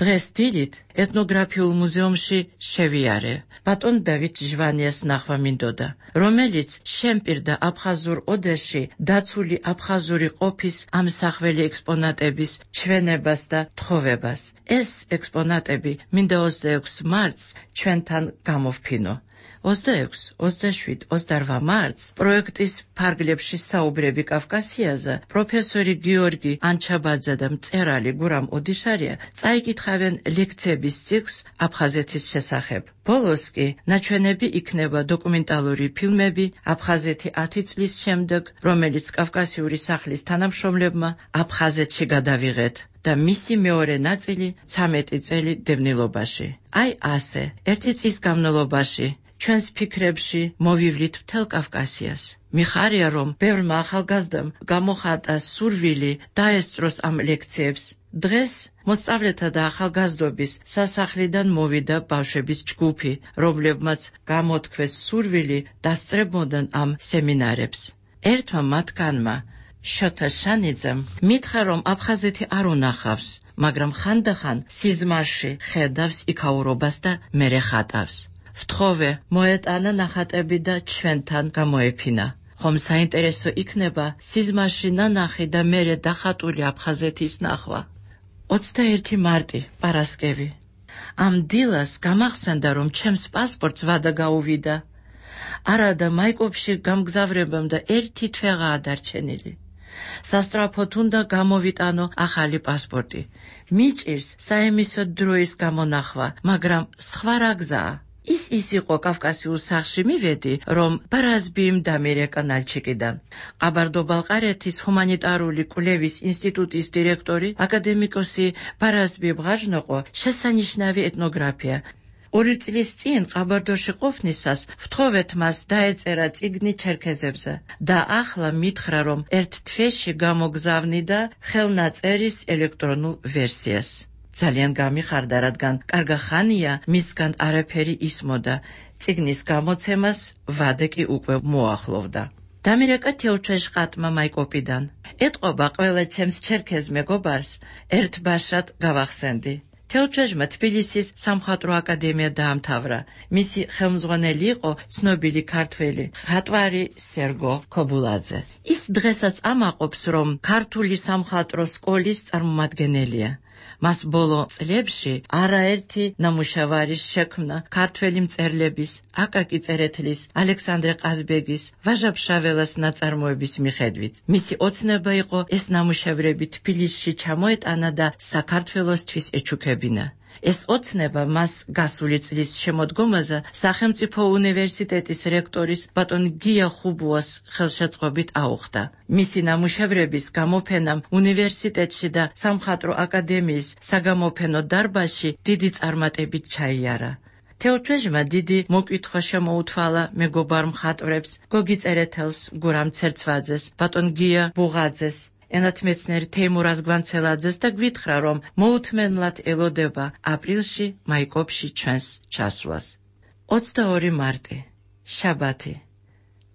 დღეს დილით ეთნოგრაფიულ მუზეუმში შევიარე. ბატონ დავით ჟვანიას ნახვა მინდოდა, რომელიც შემპირდა აფხაზურ ოდეში დაცული აფხაზური ყოფის ამსახველი ექსპონატების ჩვენებას და თხოვებას. ეს ექსპონატები მინდა ოცდაექვსი მარტს ჩვენთან გამოვფინო. ოცდაექვსი, ოცდაშვიდი, ოცდაოთხ მარტს პროექტის ფარგლებში საუბრები კავკასიაზე პროფესორი გიორგი ანჩაბაძე და მწერალი გურამ ოდიშარია წაიკითხავენ ლექციების ციკლს აფხაზეთის შესახებ. ბოლოს კი ნაჩვენები იქნება დოკუმენტალური ფილმები აფხაზეთი ათი წლის შემდეგ, რომელიც კავკასიური სახლის თანამშრომლებმა აფხაზეთში გადავიღეთ და მისი მეორე ნაწილი ცამეტი წელი დევნილობაში. აი ასე, ერთი წლის განმავლობაში ჩვენს ფიქრებში მოვივლით მთელ კავკასიას. მიხარია, რომ ბევრმა ახალგაზრდამ გამოხატა სურვილი დაესწროს ამ ლექციებს. დღეს მოსწავლეთა და ახალგაზრდობის სასახლიდან მოვიდა ბავშვების ჯგუფი, რომლებმაც გამოთქვეს სურვილი დასწრებოდან ამ სემინარებს. ერთმა მათგანმა, შოთა შანიძემ, მითხრა, რომ აფხაზეთი არ უნახავს, მაგრამ ხანდახან სიზმარში ხედავს იქაურობას და მერე ხატავს. ვთხოვე, მოეტანა ნახატები და ჩვენთან გამოეფინა. ხომ საინტერესო იქნება სიზმარში ნანახი და მერე დახატული აფხაზეთის ნახვა. ოცდაერთი მარტი, პარასკევი. ამ დილას გამახსენდა, რომ ჩემს პასპორტს ვადა გაუვიდა. არადა მაიკოპში გამგზავრებამ და ერთი თვეღაა დარჩენილი. სასწრაფოდ უნდა გამოვიტანო ახალი პასპორტი. მიჭირს საემისო დროის გამონახვა, მაგრამ სხვა რა გზაა? ის ის იყო კავკასიურ სახლში მივედი, რომ ბარაზბიმ დამირეკა ნალჩიკიდან. ყაბარდო-ბალყარეთის ჰუმანიტარული კვლევის ინსტიტუტის დირექტორი აკადემიკოსი ბარაზბი ბღაჟნოყო შესანიშნავი ეთნოგრაფია. ორი წლის წინ ყაბარდოში ყოფნისას ვთხოვეთ მას დაეწერა წიგნი ჩერქეზებზე და ახლა მითხრა, რომ ერთ თვეში გამოგზავნიდა ხელნაწერის ელექტრონულ ვერსიას. ძალიან გამიხარდა, რადგან კარგა ხანია მისგან არაფერი ისმოდა. წიგნის გამოცემას ვადე კი უკვე მოახლოვდა. დამირეკა თეოჩეშყატმა მაიკოპიდან. ეტყობა ყველა ჩემს ჩერქეზ მეგობარს ერთ ბაშად გავახსენდი. თეოჩეშმა თბილისის სამხატვრო აკადემია დაამთავრა. მისი ხელმძღვანელი იყო ცნობილი ქართველი ხატვარი სერგო ქობულაძე. ის დღესაც ამაყობს, რომ ქართული სამხატვრო სკოლის წარმომადგენელია. მას ბოლო წლებში არაერთი ნამუშევარი შექმნა ქართველი მწერლების, აკაკი წერეთლის, ალექსანდრე ყაზბეგის, ვაჟა ფშაველას ნაწარმოების მიხედვით. მისი ოცნება იყო ეს ნამუშევრები თბილისში ჩამოეტანა და საქართველოსთვის ეჩუქებინა. ეს ოცნება მას გასული წლის შემოდგომაზე სახელმწიფო უნივერსიტეტის რექტორის ბატონ გია ხუბუას ხელშეწყობით აუხდა. მისი ნამუშევრების გამოფენამ უნივერსიტეტში და სამხატვრო აკადემიის საგამოფენო დარბაზში დიდი წარმატებით ჩაიარა. თეოჩეშმა დიდი მოკითხვა შემოუთვალა მეგობარ მხატვრებს, გოგი წერეთელს, გურამ ცერცვაძეს, ბატონ გია ბუღაძეს, ენათმეცნიერ თეიმურაზ გვანცელაძეს და გვითხრა, რომ მოუთმენლად ელოდება აპრილში მაიკოპში ჩვენს ჩასვლას. ოცდაორი მარტი, შაბათი.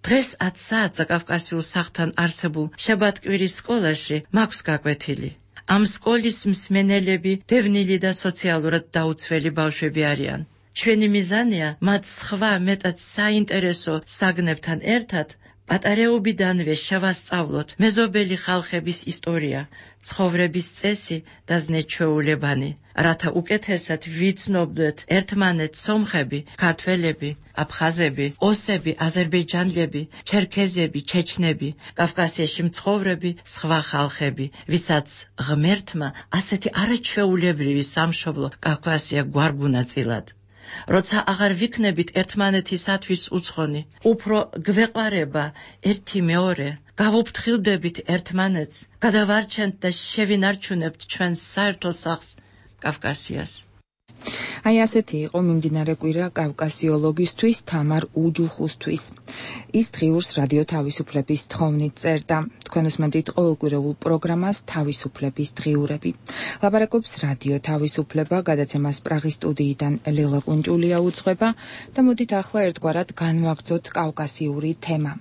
დღეს ათ საათზე კავკასიურ სახლთან არსებულ შაბათკვირის სკოლაში მაქვს გაკვეთილი. ამ სკოლის მსმენელები დევნილი და სოციალურად დაუცველი ბავშვები არიან. ჩვენი მიზანია მათ სხვა მეტად საინტერესო საგნებთან ერთად პატარაობიდანვე შევასწავლოთ მეზობელი ხალხების ისტორია, ცხოვრების წესი და ზნეჩვეულებანი, რათა უკეთესად ვიცნობდეთ ერთმანეთს სომხები, ქართველები, აფხაზები, ოსები, აზერბაიჯანელები, ჩერქეზები, ჩეჩნები, კავკასიაში მცხოვრები სხვა ხალხები, ვისაც ღმერთმა ასეთი არაჩვეულებრივი სამშობლო კავკასია გვარგუნაწილად. როცა აღარ ვიქნებით ერთმანეთისათვის უცხონი, უფრო გვეყვარება ერთი მეორე, გავუფრთხილდებით ერთმანეთს, გადავარჩენთ და შევინარჩუნებთ ჩვენს საერთო სახლს კავკასიას. აი ასეთი იყო მიმდინარე კვირა კავკასიოლოგისთვის თამარ უჯუხუსთვის. ის დღიურს რადიო თავისუფლების თხოვნით წერდა. თქვენ უსმენთ ყოველკვირეულ პროგრამას თავისუფლების დღიურები. ლაპარაკობს რადიო თავისუფლება, გადაცემას პრაღის სტუდიიდან ლელა კუნჭულია უძღვება და მოდით ახლა ერთგვარად განვაგრძოთ კავკასიური თემა.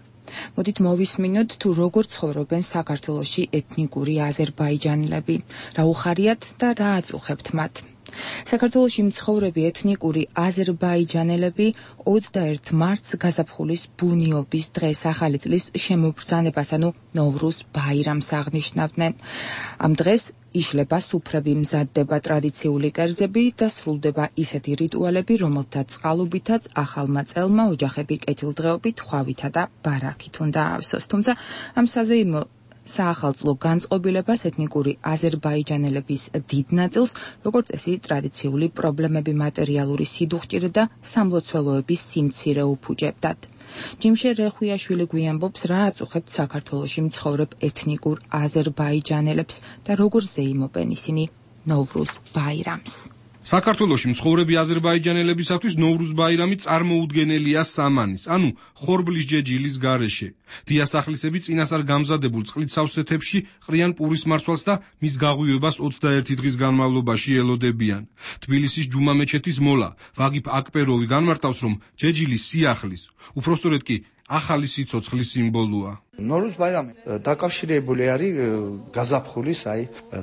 მოდით მოვისმინოთ თუ როგორ ცხოვრობენ საქართველოში ეთნიკური აზერბაიჯანელები, რა უხარიათ და რა აწუხებთ მათ. საქართველოში მცხოვრები ეთნიკური აზერბაიჯანელები ოცდაერთი მარტს გაზაფხულის ბუნიობის დღეს ახალი წლის შემობრძანებას, ანუ ნოვრუზ ბაირამს აღნიშნავდნენ. ამ დღეს იშლება სუფრები, მზადდება ტრადიციული კერძები და სრულდება ისეთი რიტუალები, რომელთაც წყალობითაც ახალმა წელმა ოჯახები კეთილდღეობით, ხვავითა და ბარაქით უნდა აავსოს. თუმცა ამ საზეიმო საახალწლო განწყობილებას ეთნიკური აზერბაიჯანელების დიდ ნაწილს, როგორც წესი, ტრადიციული პრობლემები, მატერიალური სიდუხჭირე და სამლოცველოების სიმცირე უფუჭებდათ. ჯიმშე რეხვიაშვილი გვიამბობს, რა აწუხებთ საქართველოში მცხოვრებ ეთნიკურ აზერბაიჯანელებს და როგორ ზეიმობენ ისინი ნოვრუზ ბაირამს. საქართველოში მცხოვრები აზერბაიჯანელებისათვის ნოვრუზ ბაირამი წარმოუდგენელია სამანის, ანუ ხორბლის ჯეჯილის გარეშე. დიასახლისები წინასწარ გამზადებულ წყლით სავსეთებში ყრიან პურის მარცვალს და მის გაღვივებას ოცდაერთი დღის განმავლობაში ელოდებიან. თბილისის ჯუმა მეჩეთის მოლა ვაგიფ აკპეროვი განმარტავს, რომ ჯეჯილის სიახლის, უпроსტորედ კი ახალი სიცოცხლის სიმბოლოა. ნოვრუზ ბაირამი დაკავშირებული არის გაზაფხულის, აი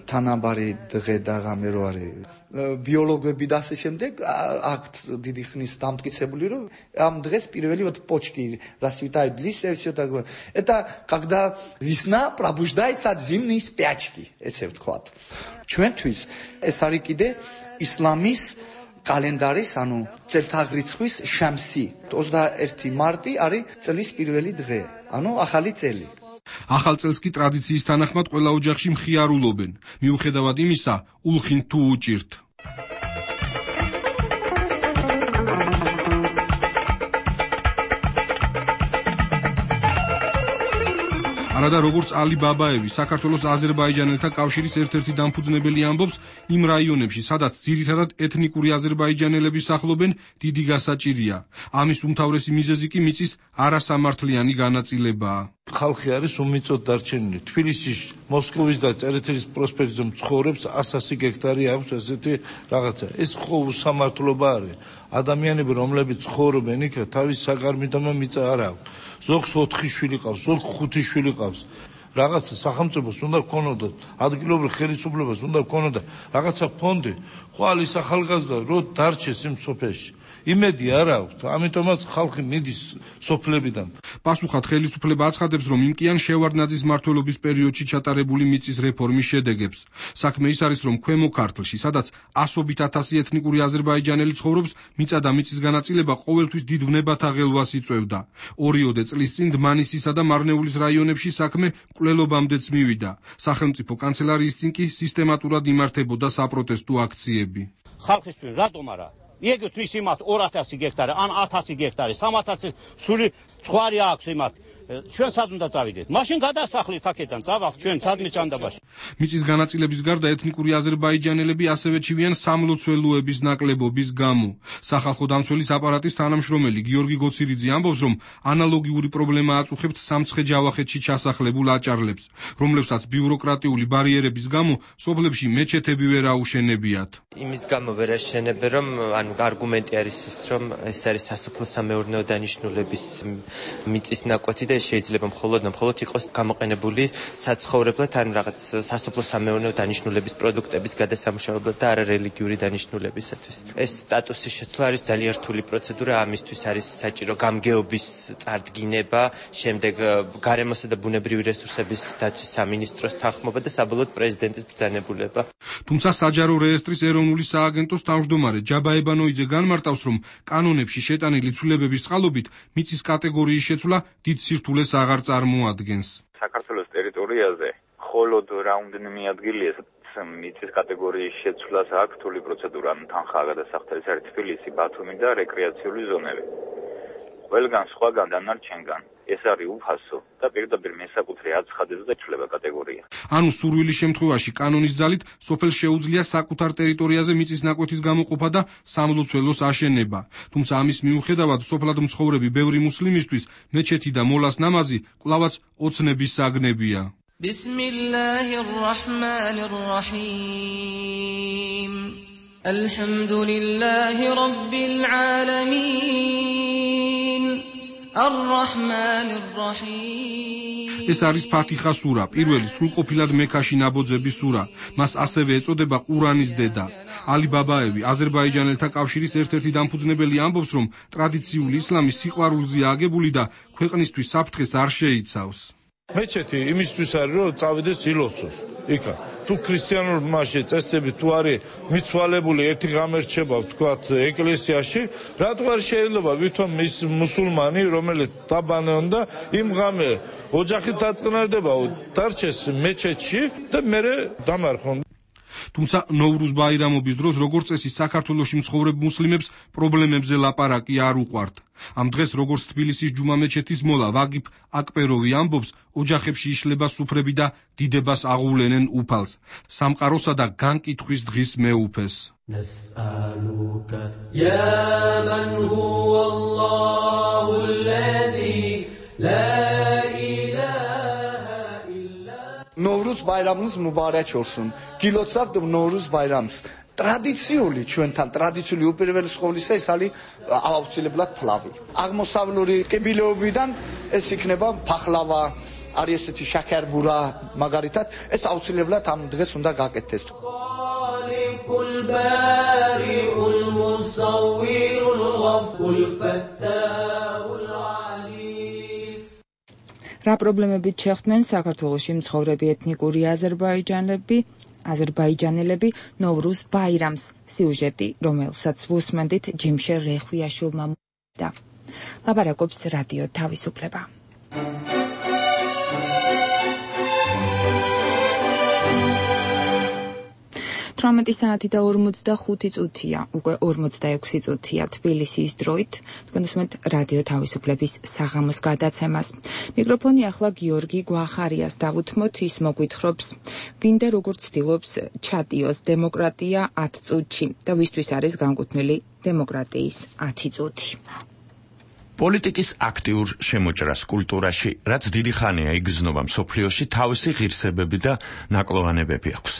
თანაბარი დღე და ღამე რო არის. ბიოლოგები და ასე შემდეგ აქვთ დიდი ხნის დამტკიცებული, რომ ამ დღეს პირველი вот почки расцветают листья и все такое. Это когда весна пробуждается от зимней спячки, ესე ვთქვათ. ჩვენთვის ეს არის კიდე ისლამის კალენდარის, ანუ წელთაღრიცხვის შამსი. ოცდაერთი მარტი არის წლის პირველი დღე, ანუ ახალი წელი. ახალ წელს კი ტრადიციის თანახმად ყველა ოჯახში მხიარულობენ. მიუხედავად იმისა, ულხინ თუ უჭირთ. არადა როგორც ალი ბაბაევი, საქართველოს აზერბაიჯანელთა კავშირის ერთ-ერთი დამფუძნებელი ამბობს, იმ რაიონებში, სადაც ძირითადად ეთნიკური აზერბაიჯანელები სახლობენ, დიდი გასაჭირია. ამის უმთავრესი მიზეზი კი მიწის არასამართლიანი განაწილებაა. ხალხი არის უმიწოდ დარჩენილი. თბილისის, მოსკოვის და წერეთლის პროსპექტზე მცხოვრებს ასასი გექტარი აქვს ესეთი რაღაცა. ეს ხო უსამართლობა არის. ადამიანები, რომლებიც ცხოვრობენ იქ, თავის საკარმიდამო მიწა არ აქვს. ზოგს ოთხი შვილი ყავს, ზოგს ხუთი შვილი ყავს. რაღაცა სახელმწიფოს უნდა გქონოდათ, ადგილობრივ ხელისუფლებას უნდა გქონოდათ რაღაცა ფონდი, ხვალის ახალგაზრდა რო დარჩეს იმ სოფელში. იმედი არ აქვს, ამიტომაც ხალხი მიდის სოფლებიდან. პასუხად ხელისუფლება აცხადებს, რომ იმკიან შევარდნაძის მმართველობის პერიოდში ჩატარებული მიწის რეფორმის შედეგებს. საქმე ის არის, რომ ქვემო ქართლში, სადაც ასობით ათასი ეთნიკური აზერბაიჯანელი ცხოვრობს, მიწა და მიწის განაწილება ყოველთვის დიდ ვნებათა ღელვას იწვევდა. ორიოდე წლის წინ დმანისისა და მარნეულის რაიონებში საქმე მკვლელობამდეც მივიდა. სახელმწიფო კანცელარიის წინ კი სისტემატურად იმართებოდა საპროტესტო აქციები. ხალხისთვის რატომ არა? იგივე ის იმათ ორასი გექტარი, ან ათასი გექტარი, სამათასი სული ცხვარი აქვს იმათ. ჩვენ სად უნდა წავიდეთ? მაშინ გადასახლით აქედან, წავალთ ჩვენ სადმე ჩანდაბაში. მიწის განაწილების გარდა ეთნიკური აზერბაიჯანელები ასევე ჩივიან სამლოცველოების ნაკლებობის გამო. სახალხო დამცველის აპარატის თანამშრომელი გიორგი გოცირიძე ამბობს, რომ ანალოგიური პრობლემა აწუხებთ სამცხე-ჯავახეთში ჩასახლებულ აჭარლებს, რომლებსაც ბიუროკრატიული ბარიერების გამო სოფლებში მეჩეთები ვერ აუშენებიათ. იმის გამო ვერ აშენებენ, რომ ანუ არგუმენტი არის ის, რომ ეს არის სასოფლო-სამეურნეო დანიშნულების მიწის ნაკვეთი და შეიძლება მხოლოდ მხოლოდ იყოს გამოყენებული საცხოვრებლად ან რაღაც სასოფლო-სამეურნეო დანიშნულების პროდუქტების გადასამუშავებლად და არა რელიგიური დანიშნულებისათვის. ეს სტატუსის შეცვლა არის ძალიან რთული პროცედურა, ამისთვის არის საჭირო გამგეობის წარდგინება, შემდეგ გარემოსა და ბუნებრივი რესურსების დაცვის სამინისტროს თანხმობა და საბოლოოდ პრეზიდენტის ბრძანებულება. თუმცა საჯარო რეესტრის ეროვნული სააგენტოს თავმჯდომარე ჯაბაებანოიძე განმარტავს, რომ კანონებში შეტანილი ცვლილებების წყალობით მიწის კატეგორიის შეცვლა დიდ სირთულეს აღარ წარმოადგენს. საქართველოს ტერიტორიაზე მხოლოდ რაუნდნი ადგილია მიწის კატეგორიის შეცვლას აქვს რთული პროცედურა, თანხაა გადასახდელი, არის თბილისი, ბათუმი და რეკრეაციული ზონები. ყველგან სხვაგან დანარჩენგან ეს არის უფასო და პირდაპირ მესაკუთრე აცხადებს და იცვლება კატეგორია. ანუ სურვილის შემთხვევაში კანონის ძალით სოფელს შეუძლია საკუთარ ტერიტორიაზე მიწის ნაკვეთის გამოყოფა და სამლოცველოს აშენება. თუმცა ამის მიუხედავად სოფლად მცხოვრები ბევრი მუსლიმისთვის მეჩეთი და მოლას ნამაზი კვლავაც ოცნების საგნებია. ბისმილლაჰირ რაჰმანირ რაჰიმ ალჰამდულილლაჰი რაბბილ ალამინ არ-რაჰმანირ რაჰიმ. ეს არის ფათიხა სურა, პირველი სრულყოფილად მექაში ნაბოძების სურა. მას ასევე ეწოდება ყურანის დედა. ალი ბაბაევი, აზერბაიჯანელთა კავშირის ერთ-ერთი დამფუძნებელი ამბობს, რომ ტრადიციული ისლამი სიყვარულზეა აგებული და ქვეყნისთვის საფრთხეს არ შეიცავს. მეჩეთი იმისთვის არის, რომ წავიდეს ილოცოს. იქა თუ ქრისტიანულ მასში წესდები თუ არის მიცვალებული ერთი ღამე რჩება ვთქვათ ეკლესიაში, რატო არ შეიძლება ვითომ ის მუსულმანი, რომელიც დაბანეონდა იმ ღამე ოჯახით დაწყნარდება, დარჩეს მეჩეთში და მერე დამარხონ. თუმცა ნოვრუზ ბაირამობის დროს როგორც წესი საქართველოში მცხოვრებ მუსლიმებს პრობლემებზე ლაპარაკი არ უყვართ. ამ დღეს როგორც თბილისის ჯუმა მეჩეთის მოლა ვაგიფ აკპეროვი ამბობს, ოჯახებში იშლება სუფრები და დიდებას აღუვლენენ უფალს, სამყაროსა და განკითხვის დღის მეუფეს. ნესალუკა ია მან ჰუვალლაჰუ ალლაზი ლა ნოვრუზ ბაირამის მუბარაკ olsun. გილოცავთ ნოვრუზ ბაირამს. ტრადიციული ჩვენთან ტრადიციული უპირველეს ყოვლისა ეს არის აუცილებლად ფლავი. აღმოსავლური კიბილეობიდან ეს იქნება ფახლავა, არის ესეთი შაქერბურა, მაგალითად, ეს აუცილებლად ამ დღეს უნდა გაკეთდეს. ხალიკულ ბარიულ მუსავვირულ ღაფულ ფატაჰულ რა პრობლემებით შეხვდნენ საქართველოში მცხოვრები ეთნიკური აზერბაიჯანელები, აზერბაიჯანელები ნოვრუზ ბაირამს, სიუჟეტი, რომელსაც ვუსმენდით ჯიმშე რეხვიაშვილმა და ლაპარაკობს რადიო თავისუფლება. თვრამეტი საათი და ორმოცდახუთი წუთია, უკვე ორმოცდაექვსი წუთია თბილისის დროით. თქვენ უსმენთ რადიო თავისუფლების საღამოს გადაცემას. მიკროფონი ახლა გიორგი გვახარიას დავუთმოთ, ის მოგვითხრობს, ვინ და როგორ ცდილობს ჩატიოს დემოკრატია ათ წუთში და ვისთვის არის განკუთვნილი დემოკრატიის ათი წუთი. პოლიტიკის აქტიურ შემოჭრას კულტურაში, რაც დიდი ხანია იგრძნობა მსოფლიოში, თავისი ღირსებები და ნაკლოვანებები აქვს.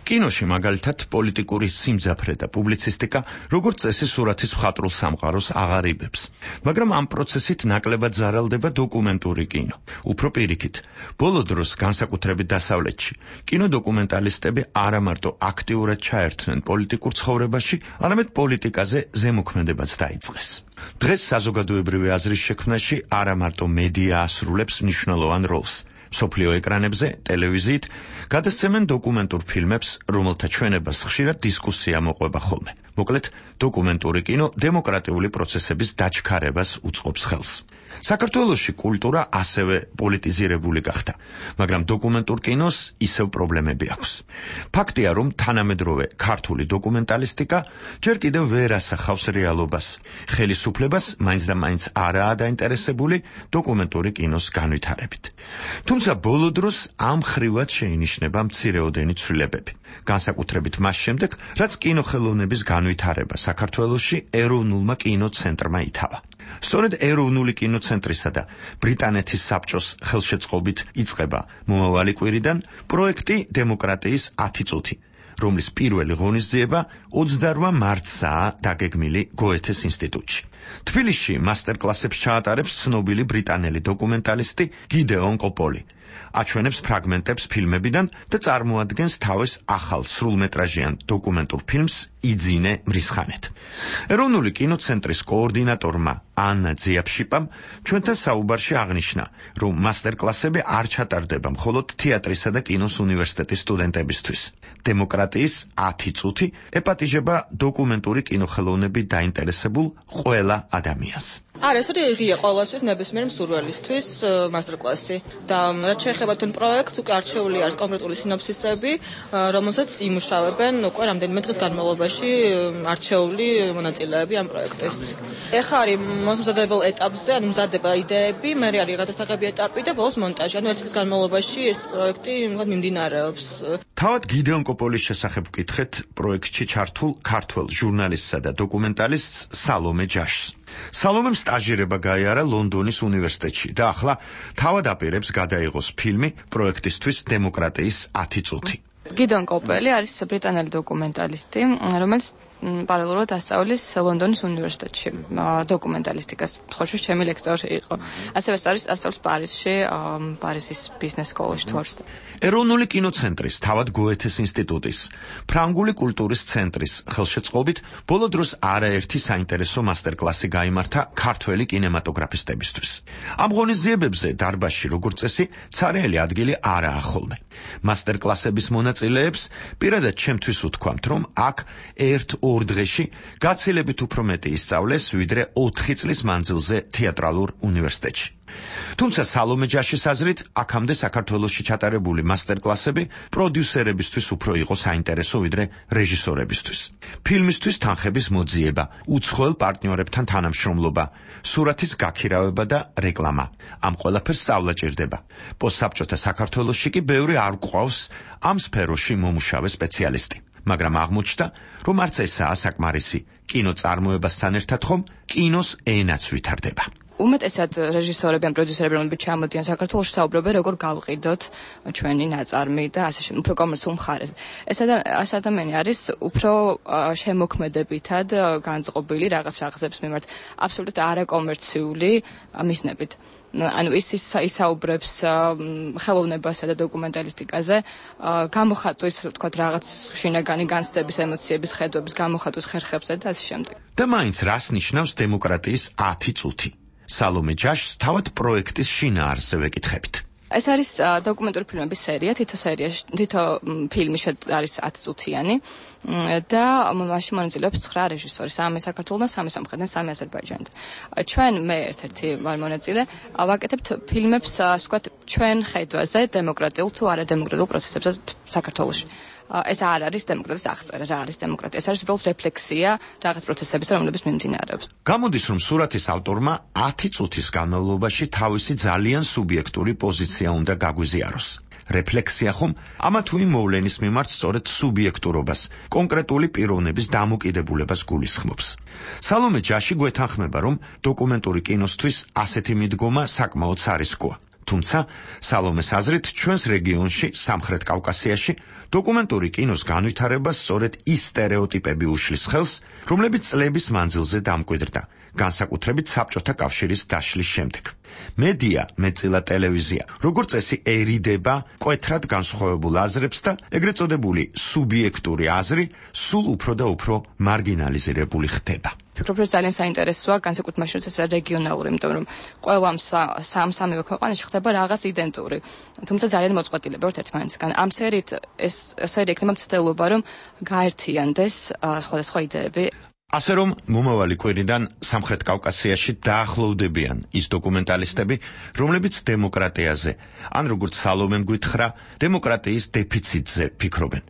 კინოში მაგალითად პოლიტიკური სიმძაფრე და პუბლიცისტიკა როგორც წესი სურათის მხატვრულ სამყაროს აღარიბებს. მაგრამ ამ პროცესით ნაკლებად ზარალდება დოკუმენტური კინო. უფრო პირიქით, ბოლო დროს განსაკუთრებით დასავლეთში, კინოდოკუმენტალისტები არა მარტო აქტიურად ჩაერთვნენ პოლიტიკურ ცხოვრებაში, არამედ პოლიტიკაზე ზემოქმედებაც დაიწყეს. დღეს საზოგადოებრივი აზრის შექმნაში არა მარტო მედია ასრულებს მნიშვნელოვან როლს. მსოფლიო ეკრანებზე, ტელევიზიით გადასცემენ დოკუმენტურ ფილმებს, რომელთა ჩვენებას ხშირად დისკუსია მოყვება ხოლმე. მოკლედ, დოკუმენტური კინო დემოკრატიული პროცესების დაჩქარებას უწყობს ხელს. საქართველოში კულტურა ასევე პოლიტიზირებული გახდა, მაგრამ დოკუმენტურ კინოს ისევ პრობლემები აქვს. ფაქტია, რომ თანამედროვე ქართული დოკუმენტალისტიკა ჯერ კიდევ ვერ ასახავს რეალობას. ხელისუფლებას მაინც და მაინც არაა დაინტერესებული დოკუმენტური კინოს განვითარებით. თუმცა ბოლო დროს ამ ხრივად შეინიშნება მცირეოდენი ცვლილებები. განსაკუთრებით მას შემდეგ, რაც კინოხელოვნების განვითარება საქართველოში ეროვნულმა კინოცენტრმა ითავა. სწორედ ეროვნული კინოცენტრისა და ბრიტანეთის საბჭოს ხელშეწყობით იწყება მომავალი კვირიდან პროექტი დემოკრატიის ათი წუთი, რომლის პირველი ღონისძიება ოცდაორმა მარტსაა დაგეგმილი გოეთეს ინსტიტუტში. თბილისში მასტერკლასებს ჩაატარებს ცნობილი ბრიტანელი დოკუმენტალისტი გიდეონ კოპოლი. აჩვენებს ფრაგმენტებს ფილმებიდან და წარმოადგენს თავის ახალ სრულმეტრაჟიან დოკუმენტურ ფილმს იძინე მრისხანეთ. ეროვნული კინოცენტრის კოორდინატორმა ანა ძიაფშიპამ ჩვენთან საუბარში აღნიშნა, რომ მასტერკლასები არ ჩატარდება მხოლოდ თეატრისა და კინოს უნივერსიტეტის სტუდენტებისთვის. დემოკრატიის ათი წუთი ეპატიჟება დოკუმენტური კინოხელოვნებით დაინტერესებულ ყველა ადამიანს. არა, ეს არის ღია ყოველასთვის ნებისმიერ მსურველისთვის მასტერკლასი და რაც შეეხება თუნ პროექტს, უკვე არჩეული არის კონკრეტული სინოფსისები, რომელსაც იმუშავებენ უკვე რამდენიმე დღის განმავლობაში არჩეული მონაწილეები ამ პროექტის. ეხლა არის მოსამზადებელ ეტაპზე, ანუ მზადდება იდეები, მერე არის გადასაღები ეტაპი და ბოლოს მონტაჟი. ანუ ერთი წლის განმავლობაში ეს პროექტი მოგად მიმდინარეობს. თავად გიდეონ კოპოლის შესახებ ვკითხეთ პროექტში ჩართულ ქართველ ჟურნალისტსა და დოკუმენტალისტს სალომე ჯაშს. სალომემ სტაჟირება გაიარა ლონდონის უნივერსიტეტში და ახლა თავად აპირებს გადაიღოს ფილმი პროექტისთვის დემოკრატიის ათი წუთი. გიდეონ კოპელი არის ბრიტანელი დოკუმენტალისტი, რომელიც პარალელურად ასწავლის ლონდონის უნივერსიტეტში დოკუმენტალისტიკას. ხოშო ჩემი ლექტორი იყო. ასევე ასწავლის პარიზში, პარიზის ბიზნეს სკოლაში თორსტა. ეროვნული კინოცენტრის, თავად გოეთეს ინსტიტუტის, ფრანგული კულტურის ცენტრის ხელშეწყობით ბოლო დროს არაერთი საინტერესო მასტერკლასი გაიმართა ქართველი კინემატოგრაფისტებისთვის. ამ ღონისძიებებზე დარბაზში როგორც წესი ცარიელი ადგილი არაა ხოლმე. მასტერკლასების მონაწილეებს პირადად ჩემთვის ვთქვამთ, რომ აქ ერთ-ორ დღეში გაცილებით უფრო მეტი ისწავლეს, ვიდრე ოთხი წლის მანძილზე თეატრალურ უნივერსიტეტში. თუმცა სალომე ჯაშის აზრით, აქამდე საქართველოში ჩატარებული მასტერკლასები პროდიუსერებისთვის უფრო იყო საინტერესო, ვიდრე რეჟისორებისთვის. ფილმისთვის თანხების მოძიება, უცხოელ პარტნიორებთან თანამშრომლობა, სურათის გაქირავება და რეკლამა. ამ ყველაფერს სწავლა ჭირდება. პოსტსაბჭოთა საქართველოში კი ბევრი არ გვყავს ამ სფეროში მომუშავე სპეციალისტი. მაგრამ აღმოჩნდა, რომ არც ესაა საკმარისი. კინოწარმოებასთან ერთად ხომ კინოს ენაც ვითარდება. უმეტესად რეჟისორები ან პროდიუსერები, რომლებიც ჩამოდიან საქართველოში, საუბრობენ როგორ გავყიდოთ ჩვენი ნაწარმი და ასე შემდეგ, უფრო კომერციულ მხარეს. ეს ადამიანი არის უფრო შემოქმედებითად განწყობილი რაღაც რაღაცებს მიმართ, აბსოლუტურად არაკომერციული მიზნებით. ანუ ის ისაუბრებს ხელოვნებასა და დოკუმენტალისტიკაზე, გამოხატვის, ვთქვათ, რაღაც შინაგანი განცდების, ემოციების, ხედვების გამოხატვის ხერხებზე და ასე შემდეგ. და მაინც რას ნიშნავს დემოკრატიის ათი წუთი? სალომე ჯაშს თავად პროექტის შინაარსზე ვეკითხებით. ეს არის დოკუმენტური ფილმების სერია, თითო სერიაში, თითო ფილმი არის ათი წუთიანი და მასში მონაწილეობს ცხრა რეჟისორი, სამი საქართველოდან, სამი სომხეთიდან, სამი აზერბაიჯანიდან. ჩვენ მე ერთ-ერთი ვარ მონაწილე, ვაკეთებთ ფილმებს, ასე ვთქვათ, ჩვენ ხედვაზე დემოკრატიულ თუ არადემოკრატიულ პროცესებზე საქართველოში. ეს არ არის დემოკრატიის აღწერა, რა არის დემოკრატია. ეს არის უბრალოდ რეფლექსია რაღაც პროცესების, რომლებიც მიმდინარეობს. გამოდის, რომ სურათის ავტორმა ათი წუთის განმავლობაში თავისი ძალიან სუბიექტური პოზიცია უნდა გაგვიზიაროს. რეფლექსია ხომ ამა თუ იმ მოვლენის მიმართ სწორედ სუბიექტურობას, კონკრეტული პიროვნების დამოკიდებულებას გულისხმობს. სალომე ჯაში გვეთანხმება, რომ დოკუმენტური კინოსთვის ასეთი მიდგომა საკმაოდ სარისკოა. თუმცა სალომეს აზრით, ჩვენს რეგიონში, სამხრეთ კავკასიაში, დოკუმენტური კინოს განვითარებას სწორედ ის სტერეოტიპები უშლის ხელს, რომლებიც წლების მანძილზე დამკვიდრდა, განსაკუთრებით საბჭოთა კავშირის დაშლის შემდეგ. მედია, მეტწილად ტელევიზია, როგორც წესი ერიდება მკვეთრად განსხვავებულ აზრებს და ეგრეთ წოდებული სუბიექტური აზრი სულ უფრო და უფრო მარგინალიზირებული ხდება. ფიქრობ, რომ ძალიან საინტერესოა, განსაკუთრებით მაშინ, როცა ეს რეგიონალური, იმიტომ რომ ყველა სამ-სამივე ქვეყანაში ხდება რაღაც იდენტური. თუმცა ძალიან მოწყვეტილება ვართ ერთმანეთისგან. ამ სერიით ეს სერია იქნება მცდელობა, რომ გაერთიანდეს სხვადასხვა იდეები. ასე რომ მომავალი კვირიდან სამხრეთ კავკასიაში დაახლოვდებიან ის დოკუმენტალისტები, რომლებიც დემოკრატიაზე, ან როგორც სალომემ გითხრა, დემოკრატიის დეფიციტზე ფიქრობენ.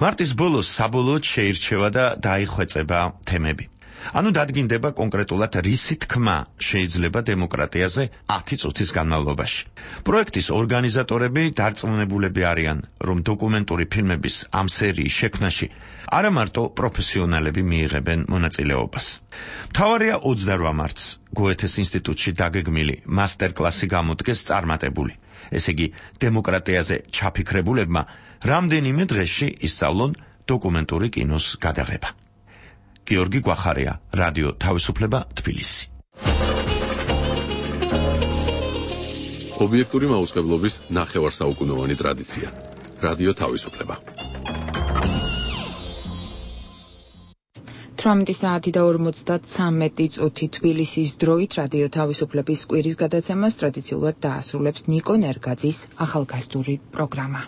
მარტის ბოლოს საბოლოოდ შეირჩევა და დაიხვეწება თემები. ანუ დადგინდება კონკრეტულად რისი თქმა შეიძლება დემოკრატიაზე ათი წუთის განმავლობაში. პროექტის ორგანიზატორები დარწმუნებულები არიან, რომ დოკუმენტური ფილმების ამ სერიის შექმნაში არა მარტო პროფესიონალები მიიღებენ მონაწილეობას. მთავარია ოცდარვა მარტს გოეთეს ინსტიტუტში დაგეგმილი მასტერკლასი გამოდგეს წარმატებული. ესე იგი, დემოკრატიაზე ჩაფიქრებულებმა რამდენიმე დღეში ისწავლონ დოკუმენტური კინოს გადაღება. გიორგი გვახარია, რადიო თავისუფლება, თბილისი. ობიექტური მაუწყებლობის ნახევარსაუკუნოვანი ტრადიცია. რადიო თავისუფლება. თვრამეტი საათი და ორმოცდათვრამეტი წუთი თბილისის დროით რადიო თავისუფლების კვირის გადაცემას ტრადიციულად დაასრულებს ნიკო ნერგაძის ახალგაზრდული პროგრამა.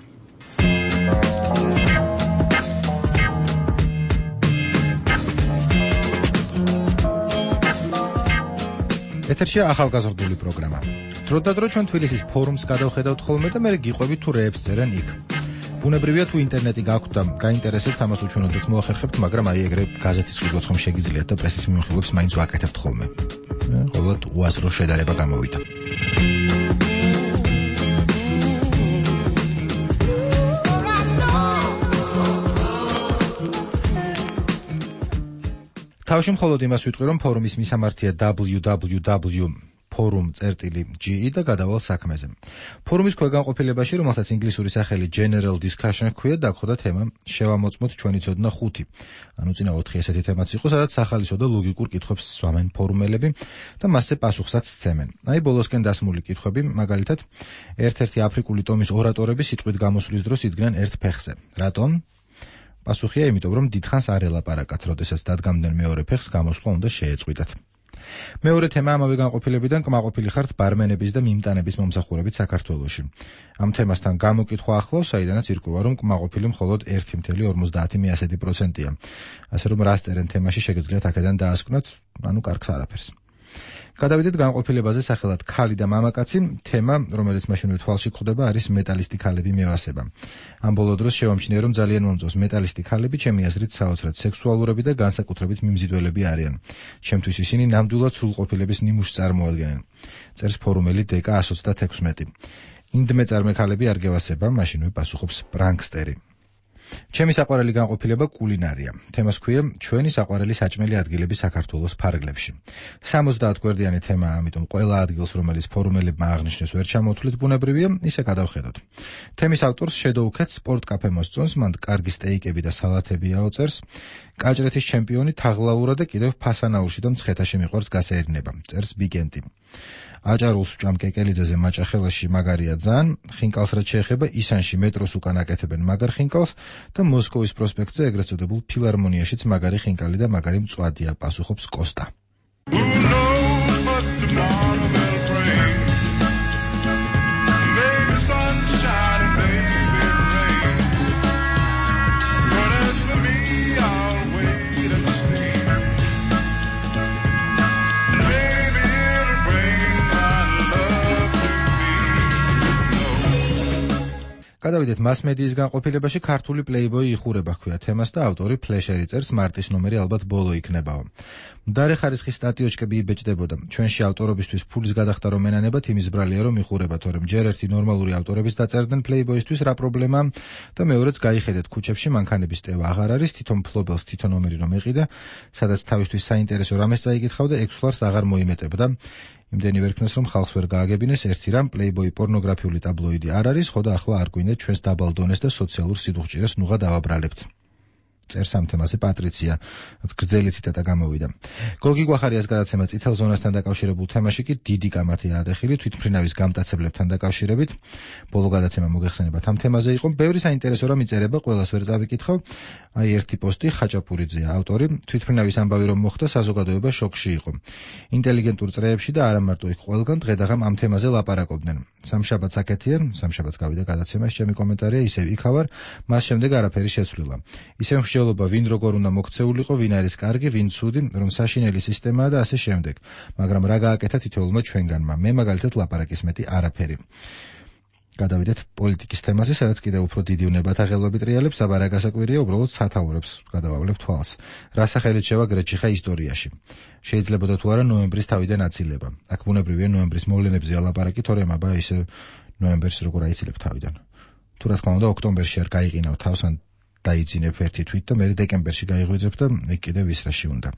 ეთერშია ახალგაზრდული პროგრამა. დროდადრო ჩვენ თბილისის ფორუმს გადავხედავთ ხოლმე და მე გიყვებით თუ რეებს წერენ იქ. ბუნებრივია თუ ინტერნეტი გაქვთ და გაინტერესებთ ამას უჩვენოდეთ მოახერხებთ, მაგრამ აი ეგრე გაზეთის ყიდვაცხომ შეგიძლიათ და პრესის მიმოხილვებს მაინც ვაკეთებთ ხოლმე. ყოველთ უაზრო შედარება გამოვიდა. თავში მხოლოდ იმას ვიტყვი, რომ ფორუმის მისამართია დაბლიუ დაბლიუ დაბლიუ ფორუმ წერტილი ჯი ი და გადავალ საქმეზე. ფორუმის ქვეგანყოფილებაში, რომელსაც ინგლისური სახელი General Discussion ჰქვია, დაგხვდა თემა შევამოწმოთ ჩვენი ცოდნა ხუთი. ანუ წინა ოთხი ესეთი თემაც იყო, სადაც სახალისო და ლოგიკურ კითხვებს სვამენ ფორუმელები და მასზე პასუხსაც სცემენ. აი ბოლოსკენ დასმული კითხვები, მაგალითად, ერთ-ერთი აფრიკული ტომის ორატორები სიტყვით გამოსვლის დროს იდგნენ ერთ ფეხზე. რატომ? პასუხია, იმიტომ რომ დიდხანს არ ელაპარაკათ, როდესაც დადგამდნენ მეორე ფეხს, გამოსვლა უნდა შეეწყვიტათ. მეორე თემა ამავე განყოფილებიდან კმაყოფილი ხართ ბარმენების და მიმტანების მომსახურებით საქართველოში. ამ თემასთან გამოკითხვა ახლავს, საიდანაც ირკვევა, რომ კმაყოფილი მხოლოდ ერთი კoma ორმოცდაათი პროცენტია. ასე რომ რას წერენ თემაში შეგეძლიათ აქედან დაასკვნათ, ანუ კარგს არაფერს. გადავიდეთ განყოფილებაზე სახელად ქალი და მამაკაცი. თემა, რომელიც მაშინვე თვალში გვხვდება, არის მეტალისტი ქალები მევასება. ამ ბოლო დროს შევამჩნია, რომ ძალიან მომწონს მეტალისტი ქალები, ჩემი აზრით საოცრად სექსუალურები და განსაკუთრებით მიმზიდველები არიან. ჩემთვის ისინი ნამდვილად სრულყოფილების ნიმუშს წარმოადგენენ. წერს ფორუმელი დეკა εκατს ოცდაექვსმეტი. ინდმეწარმე ქალები არ გევასება, მაშინვე პასუხობს პრანკსტერი. ჩემი საყვარელი განყოფილება კულინარია. თემას ქვია ჩვენი საყვარელი საჭმელი ადგილები საქართველოს ფარგლებში. სამოცდაათ გვერდიანი თემაა, ამიტომ ყველა ადგილს, რომელიც ფორუმელებმა აღნიშნეს, ვერ ჩამოთვლით, ბუნებრივია, ისე გადავხედოთ. თემის ავტორს შედოუქეთ სპორტ-კაფე მოსწონს, მან კარგი სტეიკები და სალათები აოწერს. კაჭრეთის ჩემპიონი თაღლაურა და კიდევ ფასანაურში და მცხეთაში მიყვარს გასეირნება. წერს ბიგენტი. აჭარულს ვჭამ კეკელიძეზე მაჭახელაში მაგარია ძალიან, ხინკალს რაც შეეხება ისანში მეტროს უკან აკეთებენ მაგარ ხინკალს და მოსკოვის პროსპექტზე ეგრეთ წოდებულ ფილარმონიაშიც მაგარი ხინკალი და მაგარი მწვადია, პასუხობს კოსტა. გადავიდეთ მას-მედიის განყოფილებაში. ქართული პლეიბოი იხურება ჰქვია თემას და ავტორი ფლეშერი წერს, მარტის ნომერი ალბათ ბოლო იქნებაო. მდარე ხარისხის სტატიოჩკები იბეჭდებოდა. ჩვენში ავტორობისთვის ფულის გადახდა რომ ენანებათ, იმის ბრალია რომ იხურება, თორემ ჯერ ერთი ნორმალური ავტორების დაწერდნენ პლეიბოისთვის რა პრობლემაა და მეორეც გაიხედეთ ქუჩებში მანქანების ტევა აღარ არის, თვითონ ფლობელს თვითონ ნომერი რომ ეყიდა, სადაც თავისთვის საინტერესო რამეს წაიკითხავდა, ექვს ლარს აღარ მოიმეტებდა. იმდენი ვერ ქნეს, რომ ხალხს ვერ გააგებინეს ერთი რამ, პლეიბოი პორნოგრაფიული ტაბლოიდი არ არის, ხო და ახლა არ გვინდეთ ჩვენს დაბალ დონეს და სოციალურ სიდუხჭირეს ნუღა დავაბრალებთ. წერს ამ თემაზე პატრიცია, გრძელი ციტატა გამოვიდა. გოგი გვახარიას გადაცემა წითელ ზონასთან დაკავშირებულ თემაში კი დიდი კამათია ადეხილი თვითმფრინავის გამტაცებლებთან დაკავშირებით. ბოლო გადაცემა მოგეხსენებათ ამ თემაზე იყო. ბევრი საინტერესო რამ იწერება, ყველას ვერ წავიკითხავ. აი ერთი პოსტი ხაჭაპურიძეა ავტორი. თვითმფრინავის ამბავი რომ მოხდა, საზოგადოება შოკში იყო. ინტელიგენტურ წრეებში და არა მარტო იქ ყველგან დღე-დღამ ამ თემაზე ლაპარაკობდნენ. სამშაბათს აქეთია, სამშაბათს გავიდა გადაცემა, ჩემი კომენტარია ისევ იქავარ, მას შემდეგ არაფერი შეცვლილა. ისევ მსჯელობა ვინ როგორ უნდა მოქცეულიყო, ვინ არის კარგი, ვინ ცუდი, რომ საშინელი სისტემაა და ასე შემდეგ. მაგრამ რა გააკეთა თითოეულმა ჩვენგანმა? მე მაგალითად ლაპარაკის მეტი არაფერი. გადავიდეთ პოლიტიკის თემაზე, სადაც კიდევ უფრო დიდი უნებათა ხელობით რეალებს, აბა რა გასაკვირია, უბრალოდ სათაურებს გადავავლებ თვალს. რა სახელით შევა გრეჩიხა ისტორიაში? შეიძლებოდა თუ არა ნოემბრის თავიდან აცილება. აქ ბუნებრივია ნოემბრის მოვლენებზე ალაპარაკი, თორემ აბა ისე ნოემბერს როგორ აიცილებ თავიდან. თუ რა თქმა უნდა ოქტომბერში არ გაიყინავ თავს, ან დაიძინებ ერთი თვით და მე დეკემბერში გაიღვიძებ და იქ კიდევ ვისრაში უნდა.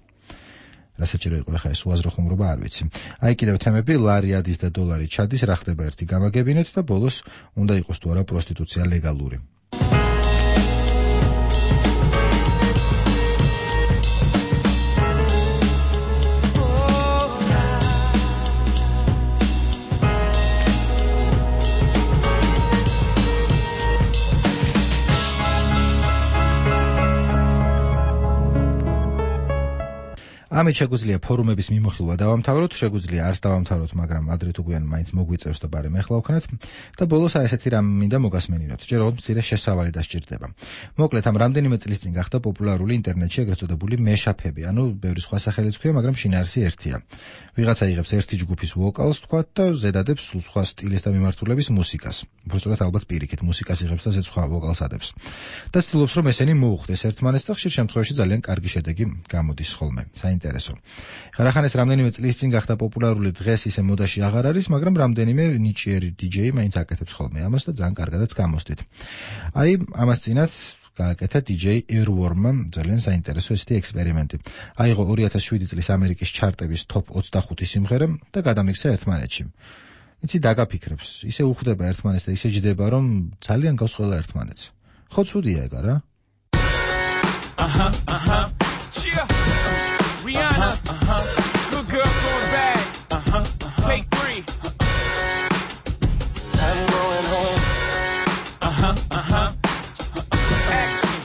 რა საჭირო იყო ახლა ეს უაზრო ხუმრობა, არ ვიცი. აი კიდევ თემები, ლარი ადის და დოლარი ჩადის, რა ხდება ერთი გამაგებინეთ და ბოლოს უნდა იყოს თუ არა პროსტიტუცია ლეგალური. ამით შეგვიძლია ფორუმების მიმოხილვა დავამთავროთ, შეგვიძლია არც დავამთავროთ, მაგრამ ადრე თუ გვიან მაინც მოგვიწევს და ბარემ ეხლა ვქნათ და ბოლოს აი ესეთი რამ მინდა მოგასმენინოთ. ჯერ ოღონდ მცირე შესავალი დასჭირდება. მოკლედ ამ რამდენიმე წლის წინ გახდა პოპულარული ინტერნეტში ეგრეთ წოდებული მეშაფები, ანუ ბევრი სხვა სახელიც ქვია, მაგრამ შინაარსი ერთია. ვიღაცა იღებს ერთი ჯგუფის ვოკალს თქვათ და ზედადებს სულ სხვა სტილის და მიმართულების მუსიკას. უბრალოდ ალბათ პირიქით მუსიკას იღებს და ზედ სხვა ვოკალს ადებს. და ცდილობს რომ ესენი მოუხდეს ერთმანეთს და ხშირ შემთხვევაში ძალიან კარგი შედეგი გამოდის ხოლმე. საინტერესო. ხარახან ეს რამდენიმე წლის წინ გახდა პოპულარული, დღეს ისე მოდაში აღარ არის, მაგრამ რამდენიმე ნიჭიერი დიჯეი მაინც აკეთებს ხოლმე ამას და ძალიან კარგადაც გამოსდით. აი ამას წინათ გააკეთა დიჯეი Earworm-მა ძალიან საინტერესო ესეთი ექსპერიმენტი. აიღო ორი ათას შვიდი წლის ამერიკის ჩარტების top ოცდახუთი სიმღერა და გადამიქცა ერთმანეთში. იცი დაგაფიქრებს, ისე უხვდება ერთმანეთს და ისე ჯდება, რომ ძალიან გავს ყველა ერთმანეთს. ხო ცუდია ეგ არა? აჰა, აჰა. Rihanna, uh-huh. Good girl going bad. Uh-huh, uh-huh. Take three. I'm going home. Uh-huh, uh-huh. Action.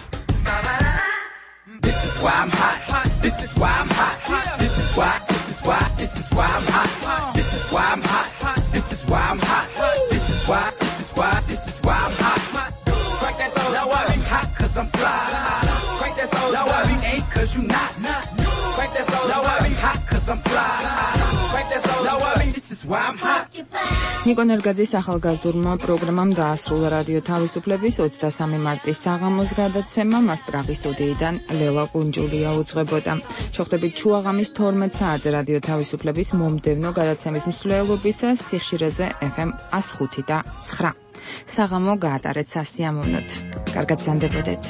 This is why I'm hot. This is why I'm hot. This is why. This is why. This is why I'm hot. This is why I'm hot. This is why I'm hot. This is why. This is why. This is why I'm hot. Crank that soul. Now I'm hot 'cause I'm fly. Crank that soul. Now I ain't 'cause you not. Crank that soul. Now I hot 'cause I'm fly. Crank that soul. Now I this is why I'm hot. ნიკო ნერგაძის ახალგაზრდულმა პროგრამამ დაასრულა რადიო თავისუფლების ოცდასამი მარტის საღამოს გადაცემა. მას პრაღის სტუდიიდან ლელა კუნჯულია უძღვებოდა. შევხვდებით ჩუაღამის თორმეტ საათზე რადიო თავისუფლების მომდევნო გადაცემის მსვლელობისას სიხშირეზე ეფ ემ εκατო ხუთი და ცხრა. საღამო გაატარეთ სასიამოვნოთ. კარგად ბრძანდებოდეთ.